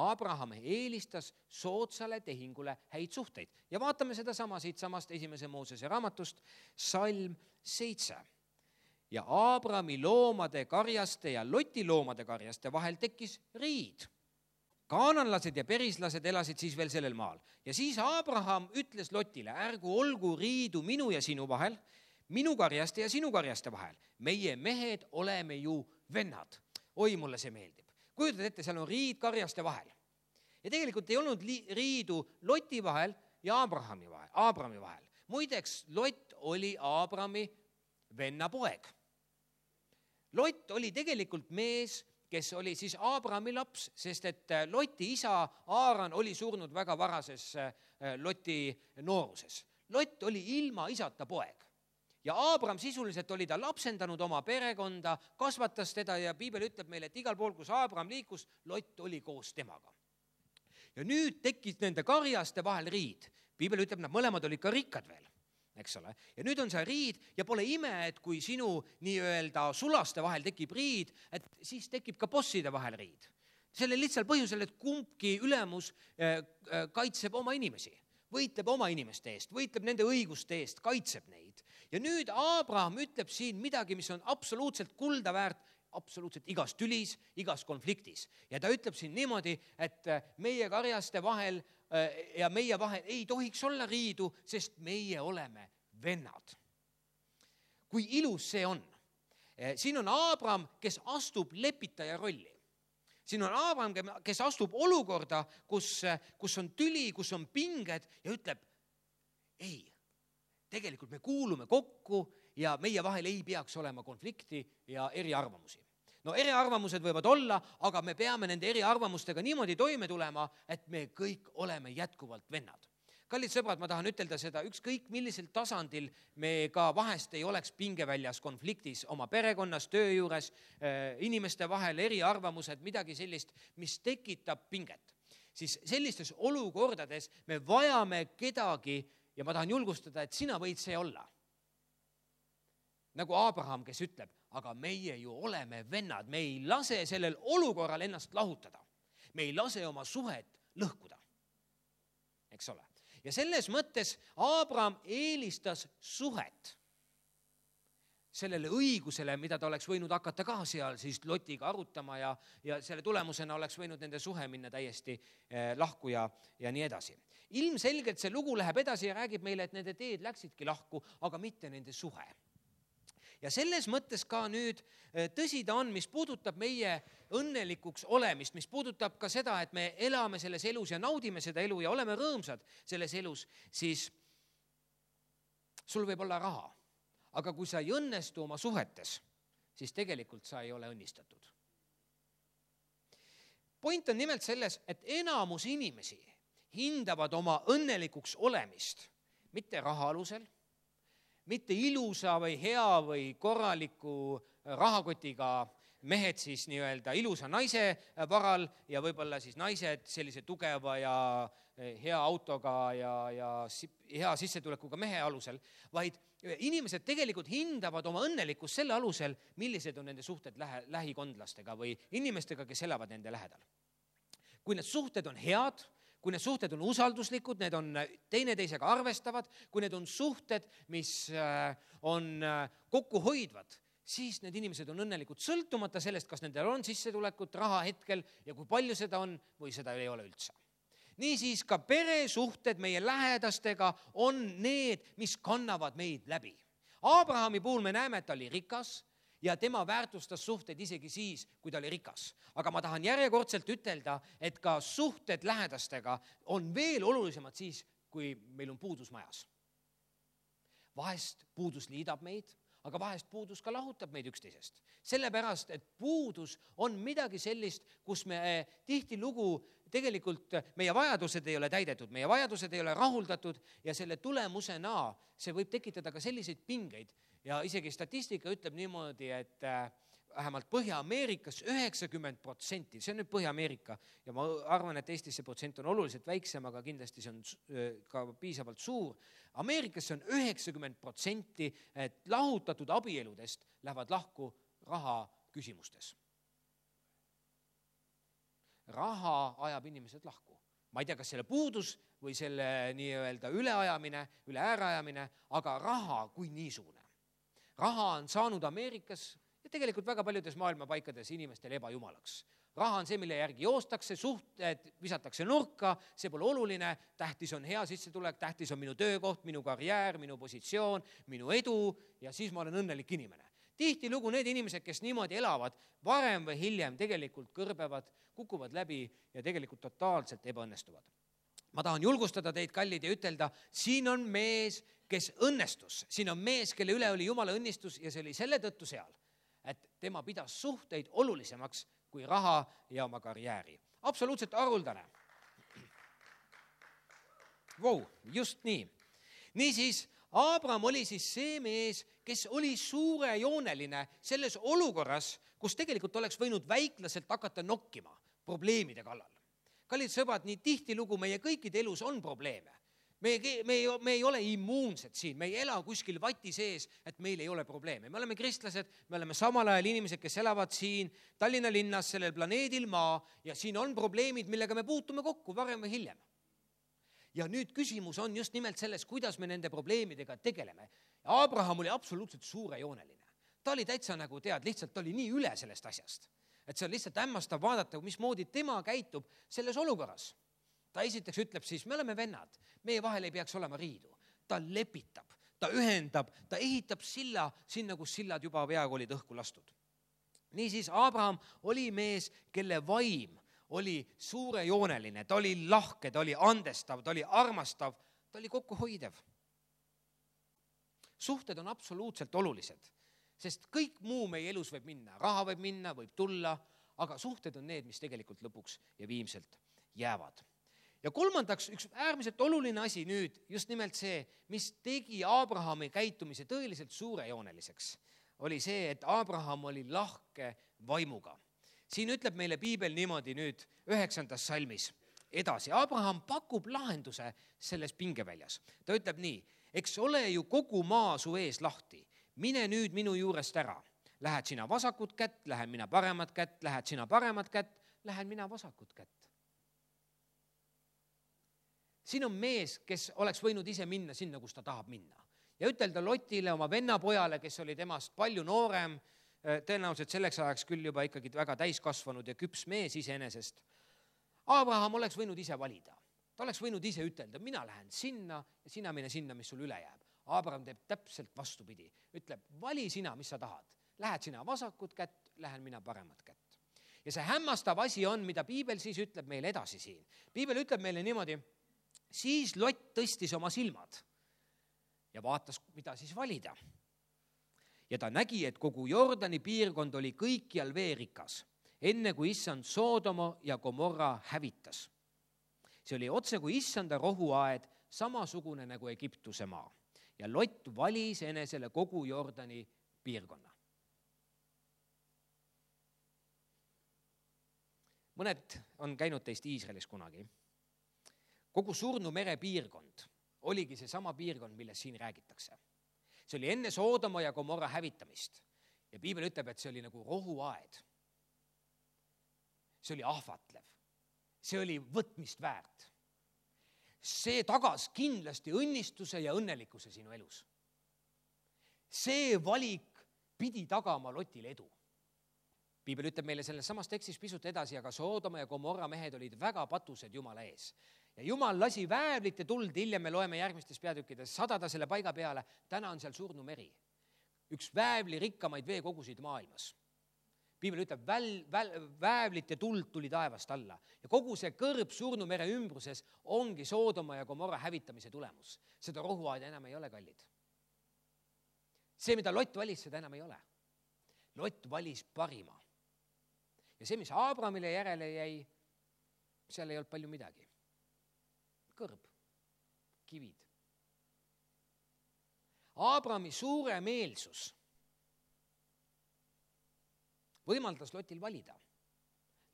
Abraham eelistas soodsale tehingule häid suhteid. Ja vaatame seda sama siit samast esimese Moosese raamatust, salm seitse. Ja Abrami loomade karjaste ja Loti loomade karjaste vahel tekkis riid. Kaananlased ja perislased elasid siis veel sellel maal. Ja siis Abraham ütles Lotile, ärgu olgu riidu minu ja sinu vahel, minu karjaste ja sinu karjaste vahel. Meie mehed oleme ju vennad. Oi, mulle see meeldib. Kujutad ette, seal on riid karjaste vahel. Ja tegelikult ei olnud riidu Loti vahel ja Abrahami vahel. Abrami vahel. Muideks, Lot oli Abrami venna poeg. Lot oli tegelikult mees, kes oli siis Abrami laps, sest et Loti isa Aaran oli surnud väga varases Loti nooruses. Lot oli ilma isata poeg. Ja Abram sisuliselt oli ta lapsendanud oma perekonda, kasvatas teda ja Piibel ütleb meile, et igal pool, kus Abram liikus, Lot oli koos temaga. Ja nüüd tekkis nende karjaste vahel riid. Piibel ütleb, nad mõlemad olid ka rikkad veel. Eks ole. Ja nüüd on see riid ja pole ime, et kui sinu nii-öelda sulaste vahel tekib riid, et siis tekib ka bosside vahel riid. Selle lihtsal põhjusel, et kumbki ülemus kaitseb oma inimesi, võitleb oma inimeste eest, võitleb nende õiguste eest, kaitseb neid. Ja nüüd Abraham ütleb siin midagi, mis on absoluutselt kulda väärt, absoluutselt igas tülis, igas konfliktis. Ja ta ütleb siin niimoodi, et meie karjaste vahel ja meie vahel ei tohiks olla riidu, sest meie oleme vennad. Kui ilus see on. Siin on Abraham, kes astub lepitaja rolli. Siin on Abraham, kes astub olukorda, kus, kus on tüli, kus on pinged ja ütleb, ei, tegelikult me kuulume kokku ja meie vahel ei peaks olema konflikti ja eriarvamusi. No eriarvamused võivad olla, aga me peame nende eriarvamustega niimoodi toime tulema, et me kõik oleme jätkuvalt vennad. Kallid sõbrad, ma tahan ütelda seda, ükskõik millisel tasandil me ka vahest ei oleks pingeväljas konfliktis oma perekonnas, töö juures, inimeste vahel, eriarvamused, midagi sellist, mis tekitab pinget. Siis sellistes olukordades me vajame kedagi ja ma tahan julgustada, et sina võid see olla. Nagu Abraham, kes ütleb, aga meie ju oleme vennad, me ei lase sellel olukorral ennast lahutada. Me ei lase oma suhet lõhkuda. Eks ole? Ja selles mõttes Abraham eelistas suhet sellele õigusele, mida ta oleks võinud hakata ka seal siis Lotiga arutama ja, ja selle tulemusena oleks võinud nende suhe minna täiesti eh, lahku ja, ja nii edasi. Ilmselgelt see lugu läheb edasi ja räägib meile, et nende teed läksidki lahku, aga mitte nende suhe. Ja selles mõttes ka nüüd tõsi ta on, mis puudutab meie õnnelikuks olemist, mis puudutab ka seda, et me elame selles elus ja naudime seda elu ja oleme rõõmsad selles elus, siis sul võib olla raha, aga kui sa ei õnnestu oma suhetes, siis tegelikult sa ei ole õnnistatud. Point on nimelt selles, et enamus inimesi hindavad oma õnnelikuks olemist mitte raha alusel, mitte ilusa või hea või korraliku rahakotiga mehed siis nii-öelda ilusa naise varal ja võib-olla siis naised sellise tugeva ja hea autoga ja, ja hea sissetulekuga mehe alusel, vaid inimesed tegelikult hindavad oma õnnelikkust selle alusel, millised on nende suhted lähe, lähikondlastega või inimestega, kes elavad nende lähedal. Kui need suhted on head, kui need suhted on usalduslikud, need on teineteisega arvestavad, kui need on suhted, mis on kokku hoidvad, siis need inimesed on õnnelikud sõltumata sellest, kas nendel on sissetulekut raha hetkel ja kui palju seda on või seda ei ole üldse. Niisiis ka peresuhted meie lähedastega on need, mis kannavad meid läbi. Abrahami puhul me näeme, et ta oli rikas ja tema väärtustas suhted isegi siis, kui ta oli rikas. Aga ma tahan järjekordselt ütelda, et ka suhted lähedastega on veel olulisemad siis, kui meil on puudus majas. Vahest puudus liidab meid, aga vahest puudus ka lahutab meid üksteisest. Sellepärast, et puudus on midagi sellist, kus me tihtilugu tegelikult meie vajadused ei ole täidetud, meie vajadused ei ole rahuldatud ja selle tulemusena see võib tekitada ka selliseid pingeid. Ja isegi statistika ütleb niimoodi, et vähemalt Põhja-Ameerikas üheksakümmend protsenti, see on nüüd Põhja-Ameerika ja ma arvan, et Eestis see protsent on oluliselt väiksem, aga kindlasti see on ka piisavalt suur. Ameerikas on üheksakümmend protsenti, et lahutatud abieludest lähevad lahku raha küsimustes. Raha ajab inimesed lahku. Ma ei tea, kas selle puudus või selle nii-öelda üleajamine, üle äärajamine, aga raha kui niisugune. Raha on saanud Ameerikas ja tegelikult väga paljudes maailma paikades inimestele ebajumalaks. Raha on see, mille järgi joostakse, suhted visatakse nurka, see pole oluline, tähtis on hea sissetulek, tähtis on minu töökoht, minu karjäär, minu positsioon, minu edu ja siis ma olen õnnelik inimene. Tihtilugu need inimesed, kes niimoodi elavad, varem või hiljem tegelikult kõrbevad, kukuvad läbi ja tegelikult totaalselt ebaõnnestuvad. Ma tahan julgustada teid, kallid, ja ütelda, siin on mees, kes õnnestus. Siin on mees, kelle üle oli Jumala õnnistus ja see oli selle tõttu seal, et tema pidas suhteid olulisemaks kui raha ja oma karjääri. Absoluutselt haruldane. Vau, just nii. Niisiis, Abraham oli siis see mees, kes oli suurejooneline selles olukorras, kus tegelikult oleks võinud väiklaselt hakata nokkima probleemide kallal. Kallid sõbrad, nii tihtilugu meie kõikide elus on probleeme. Me ei, me, ei, me ei ole immuunsed siin, me ei ela kuskil vati sees, et meil ei ole probleeme. Me oleme kristlased, me oleme samal ajal inimesed, kes elavad siin Tallinna linnas, sellel planeedil maa ja siin on probleemid, millega me puutume kokku varem või hiljem. Ja nüüd küsimus on just nimelt selles, kuidas me nende probleemidega tegeleme. Abraham oli absoluutselt suurejooneline. Ta oli täitsa nagu tead, lihtsalt ta oli nii üle sellest asjast. Et see on lihtsalt hämmastav vaadata, mismoodi tema käitub selles olukorras. Ta esiteks ütleb siis, me oleme vennad, meie vahel ei peaks olema riidu. Ta lepitab, ta ühendab, ta ehitab silla sinna, kus sillad juba peaaegu olid õhku lastud. Niisiis Abraham oli mees, kelle vaim oli suurejooneline, ta oli lahke, ta oli andestav, ta oli armastav, ta oli kokkuhoidev. Suhted on absoluutselt olulised, sest kõik muu meie elus võib minna, raha võib minna, võib tulla, aga suhted on need, mis tegelikult lõpuks ja viimselt jäävad. Ja kolmandaks, üks äärmiselt oluline asi nüüd, just nimelt see, mis tegi Abrahami käitumise tõeliselt suurejooneliseks, oli see, et Abraham oli lahke vaimuga. Siin ütleb meile piibel niimoodi nüüd üheksandas salmis edasi. Abraham pakub lahenduse selles pingeväljas. Ta ütleb nii, eks ole ju kogu maa su ees lahti. Mine nüüd minu juurest ära. Lähed sina vasakut kätt, lähen mina paremat kätt, lähed sina paremat kätt, lähen mina vasakut kätt. Siin on mees, kes oleks võinud ise minna sinna, kus ta tahab minna. Ja ütelda Lotile, oma vennapojale, kes oli temast palju noorem, tõenäoliselt selleks ajaks küll juba ikkagi väga täiskasvanud ja küps mees iseenesest. Abraham oleks võinud ise valida. Ta oleks võinud ise ütelda, mina lähen sinna ja sina mine sinna, mis sul üle jääb. Abraham teeb täpselt vastupidi. Ütleb, vali sina, mis sa tahad. Lähed sina vasakut kätt, lähen mina paremat kätt. Ja see hämmastav asi on, mida piibel siis ütleb meile edasi siin. Piibel ütleb meile niimoodi, siis Lot tõstis oma silmad ja vaatas, mida siis valida. Ja ta nägi, et kogu Jordani piirkond oli kõikjal veerikas, enne kui issand Soodoma ja Gomorra hävitas. See oli otse kui issanda rohuaed, samasugune nagu Egiptuse maa. Ja Lott valis enesele kogu Jordani piirkonna. Mõned on käinud teist Iisraelis kunagi. Kogu Surnu mere piirkond oligi see sama piirkond, millest siin räägitakse. See oli enne Soodoma ja Gomorra hävitamist. Ja piibel ütleb, et see oli nagu rohuaed. See oli ahvatlev. See oli võtmist väärt. See tagas kindlasti õnnistuse ja õnnelikkuse sinu elus. See valik pidi tagama Lotile edu. Piibel ütleb meile selles samas tekstis pisut edasi, aga Soodoma ja Gomorra mehed olid väga patused Jumala ees. Ja Jumal lasi väävlite tuld, hiljem me loeme järgmistes peatükkides, sadada selle paiga peale, täna on seal Surnu meri. Üks väävli rikkamaid veekogusid maailmas. Piibel ütleb, väl, väl, väävlite tuld tuli taevast alla. Ja kogu see kõrb Surnu mere ümbruses ongi Soodoma ja Gomorra hävitamise tulemus. Seda rohuaeda enam ei ole, kallid. See, mida Lott valis, seda enam ei ole. Lott valis parima. Ja see, mis Abrahamile järele jäi, seal ei olnud palju midagi. Kõrb, kivid. Abrahami suure meelsus võimaldas Lotil valida.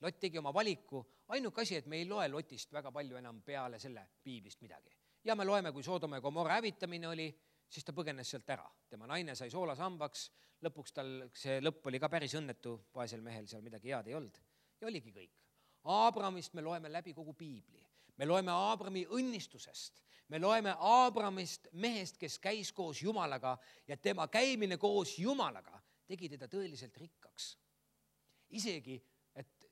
Lot tegi oma valiku, ainuke asi, et me ei loe Lotist väga palju enam peale selle piiblist midagi. Ja me loeme, kui Soodoma ja Gomorra hävitamine oli, siis ta põgenes sealt ära. Tema naine sai soolasambaks, lõpuks tal see lõpp oli ka päris õnnetu, vaesel mehel seal midagi head ei olnud. Ja oligi kõik. Abrahamist me loeme läbi kogu piibli. Me loeme Abrahami õnnistusest. Me loeme Abrahamist mehest, kes käis koos Jumalaga ja tema käimine koos Jumalaga tegi teda tõeliselt rikkaks. Isegi, et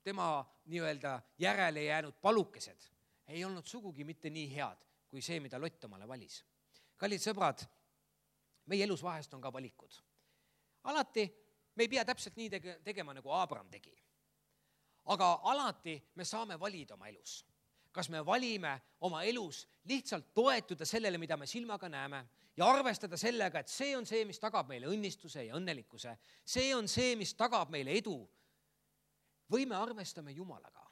tema nii-öelda järele jäänud palukesed ei olnud sugugi mitte nii head, kui see, mida Lott omale valis. Kallid sõbrad, meie elus vahest on ka valikud. Alati me ei pea täpselt nii tegema, nagu Abraham tegi. Aga alati me saame valida oma elus. Kas me valime oma elus lihtsalt toetuda sellele, mida me silmaga näeme ja arvestada sellega, et see on see, mis tagab meile õnnistuse ja õnnelikkuse. See on see, mis tagab meile edu. Või me arvestame Jumalaga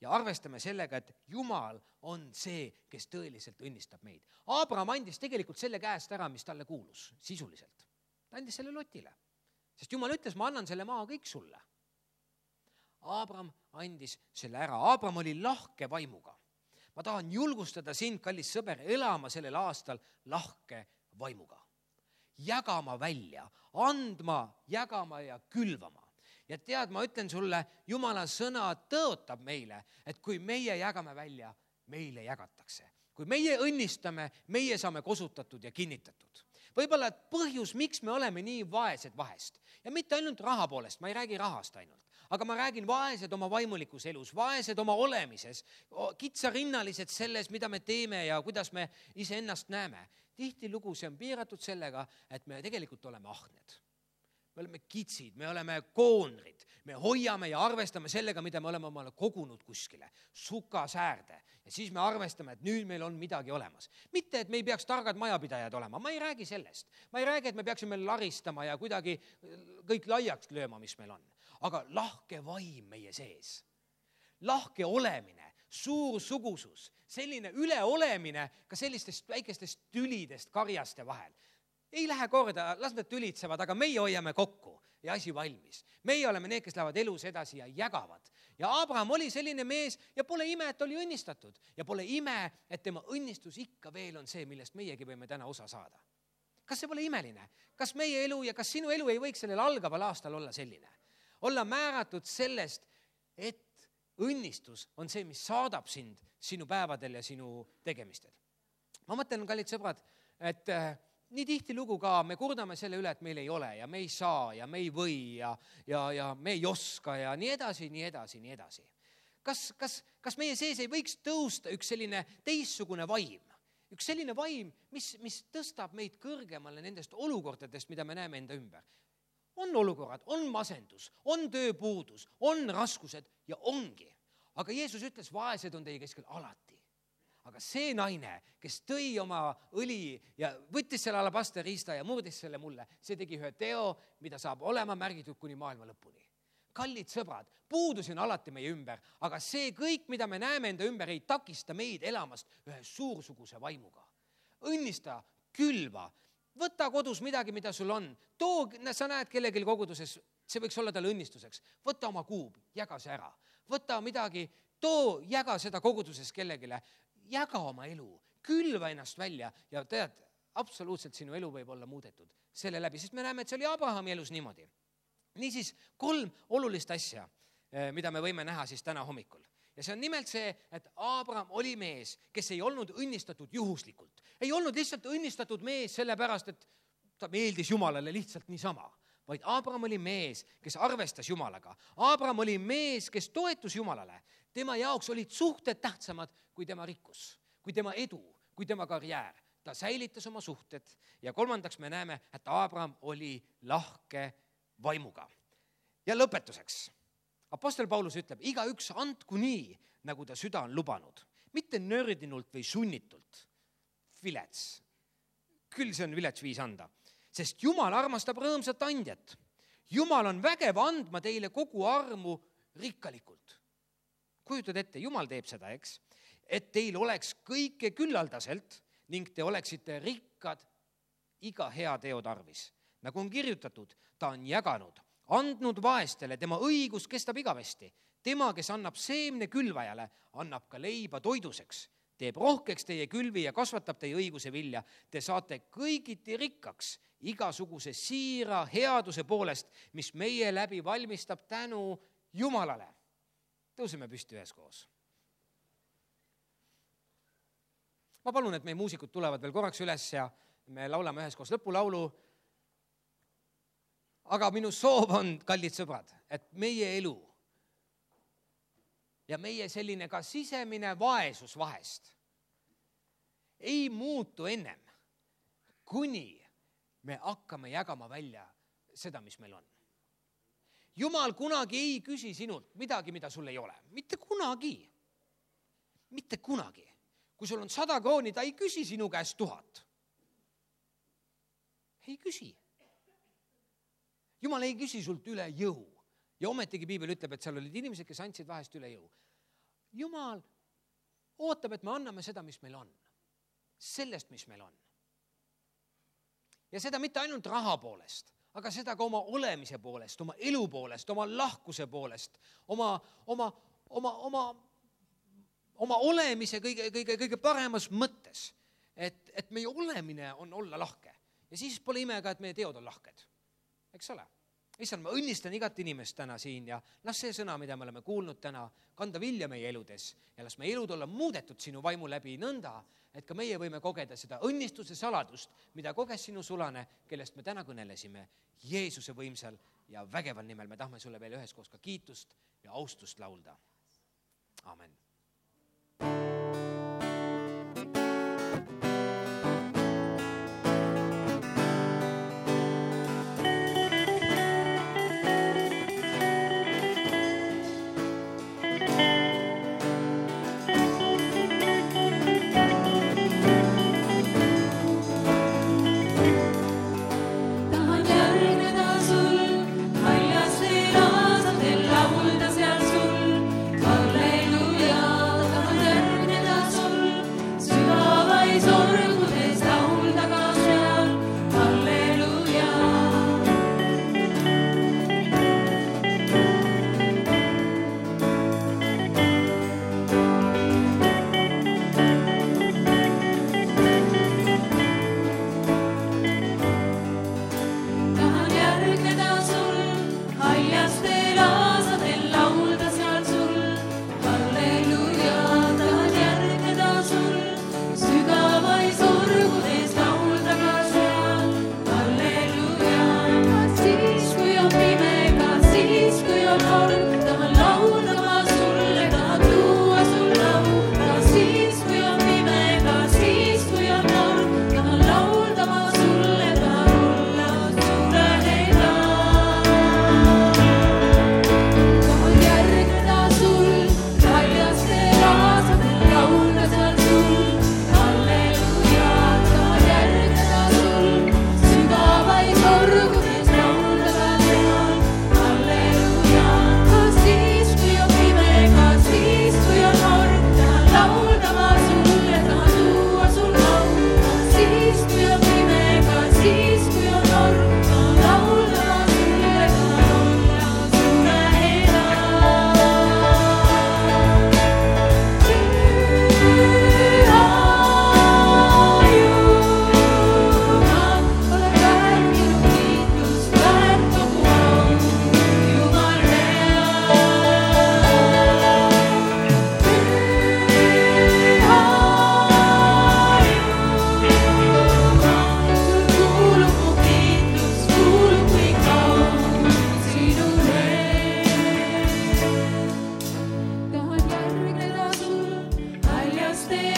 ja arvestame sellega, et Jumal on see, kes tõeliselt õnnistab meid. Abraham andis tegelikult selle käest ära, mis talle kuulus sisuliselt. Ta andis selle Lotile, sest Jumal ütles, ma annan selle maa kõik sulle. Abraham andis selle ära. Abraham oli lahke vaimuga. Ma tahan julgustada sind, kallis sõber, elama sellel aastal lahke vaimuga. Jagama välja, andma, jagama ja külvama. Ja tead, ma ütlen sulle, Jumala sõna tõotab meile, et kui meie jagame välja, meile jagatakse. Kui meie õnnistame, meie saame kosutatud ja kinnitatud. Võib-olla põhjus, miks me oleme nii vaesed vahest. Ja mitte ainult raha poolest, ma ei räägi rahast ainult. Aga ma räägin vaesed oma vaimulikus elus, vaesed oma olemises, kitsarinnalised selles, mida me teeme ja kuidas me iseennast näeme. Tihtilugu see on piiratud sellega, et me tegelikult oleme ahned. Me oleme kitsid, me oleme koonrid, me hoiame ja arvestame sellega, mida me oleme omale kogunud kuskile, sukasäärde. Ja siis me arvestame, et nüüd meil on midagi olemas. Mitte, et me ei peaks targad majapidajad olema, ma ei räägi sellest. Ma ei räägi, et me peaksime laristama ja kuidagi kõik laiaks lööma, mis meil on. Aga lahke vaim meie sees. Lahke olemine, suur sugusus, selline üleolemine ka sellistest väikestest tülidest karjaste vahel. Ei lähe korda, las nad tülitsevad, aga meie hoiame kokku ja asi valmis. Meie oleme need, kes lähevad elus edasi ja jagavad. Ja Abraham oli selline mees ja pole ime, et oli õnnistatud. Ja pole ime, et tema õnnistus ikka veel on see, millest meiegi võime täna osa saada. Kas see pole imeline? Kas meie elu ja kas sinu elu ei võiks sellel algaval aastal olla selline? Olla määratud sellest, et õnnistus on see, mis saadab sind sinu päevadel ja sinu tegemistel. Ma mõtlen, kallid sõbrad, et nii tihti lugu ka, me kurdame selle üle, et meil ei ole ja me ei saa ja me ei või ja, ja, ja me ei oska ja nii edasi, nii edasi, nii edasi. Kas, kas, kas meie sees ei võiks tõusta üks selline teistsugune vaim? Üks selline vaim, mis, mis tõstab meid kõrgemale nendest olukordadest, mida me näeme enda ümber. On olukorrad, on masendus, on tööpuudus, on raskused ja ongi. Aga Jeesus ütles, vaesed on teie keskel alati. aga see naine, kes tõi oma õli ja võttis selle alabasterriista ja murdis selle mulle, see tegi ühe teo, mida saab olema märgitud kuni maailma lõpuni. Kallid sõbrad, puudusi on alati meie ümber, aga see kõik, mida me näeme enda ümber, ei takista meid elamast ühe suursuguse vaimuga. Õnnista, külva, võta kodus midagi, mida sul on. Too, sa näed kellelgi koguduses, see võiks olla talle õnnistuseks. Võta oma kuub, jaga see ära. Võta midagi, too, jaga seda koguduses kellegile. Jaga oma elu, külva ennast välja ja tead, absoluutselt sinu elu võib olla muudetud selle läbi, sest me näeme, et see oli Abrahami elus niimoodi. Niisiis kolm olulist asja, mida me võime näha siis täna hommikul. Ja see on nimelt see, et Abraham oli mees, kes ei olnud õnnistatud juhuslikult. Ei olnud lihtsalt õnnistatud mees sellepärast, et ta meeldis Jumalale lihtsalt niisama. Vaid Abraham oli mees, kes arvestas Jumalaga. Abraham oli mees, kes toetus Jumalale. Tema jaoks olid suhted tähtsamad kui tema rikkus, kui tema edu, kui tema karjäär. Ta säilitas oma suhted ja kolmandaks me näeme, et Abraham oli lahke vaimuga. Ja lõpetuseks. Apostel Paulus ütleb, iga üks andku nii, nagu ta süda on lubanud. Mitte nördinult või sunnitult. Vilets. Küll see on vilets viis anda. Sest Jumal armastab rõõmsat andjat. Jumal on vägev andma teile kogu armu rikkalikult. Kujutad ette, Jumal teeb seda, eks? Et teil oleks kõike küllaldaselt ning te oleksite rikkad iga hea teo tarvis. Nagu on kirjutatud, ta on jaganud, andnud vaestele, tema õigus kestab igavesti. Tema, kes annab seemne külvajale, annab ka leiba toiduseks. Teeb rohkeks teie külvi ja kasvatab teie õiguse vilja. Te saate kõigiti rikkaks igasuguse siira headuse poolest, mis meie läbi valmistab tänu Jumalale. Tõuseme püsti üheskoos. Ma palun, et meie muusikud tulevad veel korraks üles ja me laulame üheskoos lõpulaulu. Aga minu soov on, kallid sõbrad, et meie elu ja meie selline ka sisemine vaesus vahest ei muutu ennem, kuni me hakkame jagama välja seda, mis meil on. Jumal kunagi ei küsi sinult midagi, mida sul ei ole. Mitte kunagi. Mitte kunagi. Kui sul on sada krooni, ta ei küsi sinu käest tuhat. Ei küsi. Jumal ei küsi sult üle jõu. Ja ometigi Piibel ütleb, et seal olid inimesed, kes andsid vahest üle jõu. Jumal ootab, et me anname seda, mis meil on. Sellest, mis meil on. Ja seda mitte ainult raha poolest, aga seda ka oma olemise poolest, oma elu poolest, oma lahkuse poolest, oma, oma, oma, oma, oma olemise kõige, kõige, kõige paremas mõttes, et, et meie olemine on olla lahke. Ja siis pole ime ka, et meie teod on lahked. Eks ole? Issand, ma õnnistan igat inimest täna siin ja las see sõna, mida me oleme kuulnud täna, kanda vilja meie eludes ja las meie elud olla muudetud sinu vaimu läbi nõnda, et ka meie võime kogeda seda õnnistuse saladust, mida koges sinu sulane, kellest me täna kõnelesime Jeesuse võimsal ja vägeval nimel. Me tahame sulle veel üheskoos ka kiitust ja austust laulda. Amen. Halleluja.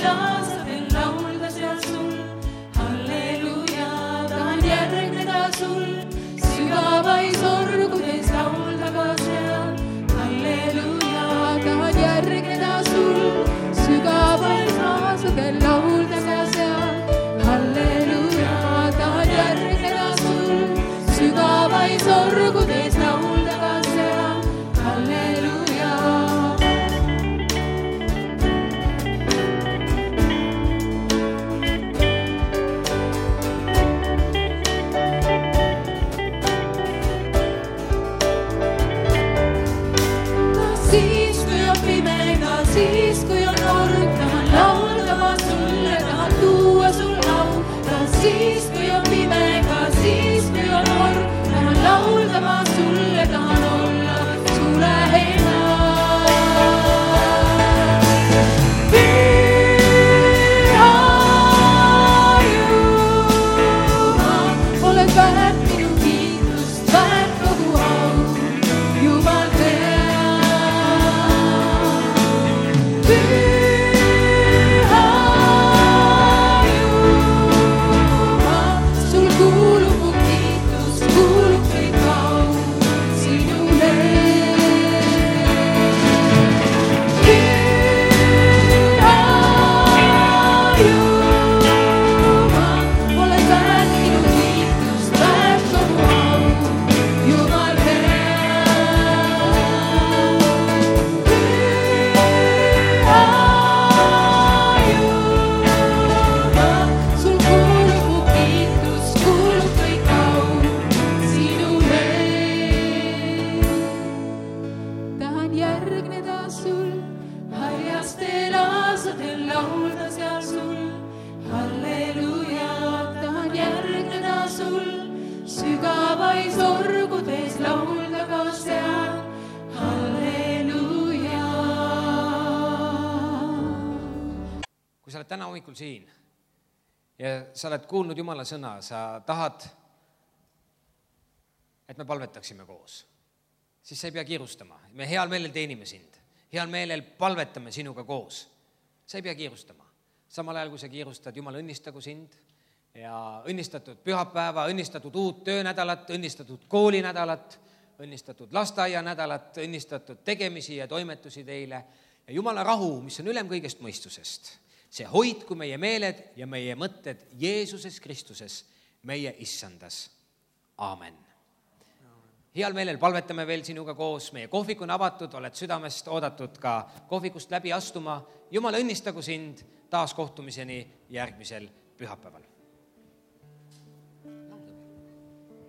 laasadel laulda seal sul. Halleluuja, tahan järgneda sul, sügavais orgudes laulda ka seal. Halleluuja, tahan järgneda sul, sügavais laasadel laulda ka seal. Halleluuja, tahan järgneda sul, sügavais orgudes laulda ka seal. Halleluuja. Siis kui on pime, ka siis kui on org, tahan laulda ma sulle, tahan tuua sul au. Ka siis kui on pime, ka siis kui on org, tahan laulda ma sulle, tahan olla su lähedal. Püha Jumal, oled väärt minu kiitust, väärt kogu au, Jumal hea. Püha Jumal, sul kuulub mu kiitus, kuulub kõik au sinule. Püha Jumal, oled väärt minu kiitust, väärt kogu au, Jumal hea. Püha Jumal, sul kuulub mu kiitus, kuulub kõik au sinule. Tahan järgneda sul, haljastel aasadel laulda seal sul. Halleluuja, tahan järgneda sul, sügavais orgudes laulda ka seal. Halleluuja. kui sa oled täna hommikul siin ja sa oled kuulnud Jumala sõna, sa tahad, et me palvetaksime koos, siis sa ei pea kiirustama. Me heal meelel teenime sind, heal meelel palvetame sinuga koos. Sa ei pea kiirustama. Samal ajal, kui sa kiirustad, Jumal õnnistagu sind ja õnnistatud pühapäeva, õnnistatud uut töönädalat, õnnistatud koolinädalat, õnnistatud lasteaianädalat, õnnistatud tegemisi ja toimetusi teile. Ja Jumala rahu, mis on ülem kõigest mõistusest, see hoidku meie meeled ja meie mõtted Jeesuses Kristuses, meie issandas. Aamen. Heal meelel palvetame veel sinuga koos, meie kohvik on avatud, oled südamest oodatud ka kohvikust läbi astuma. Jumal õnnistagu sind taas kohtumiseni järgmisel pühapäeval.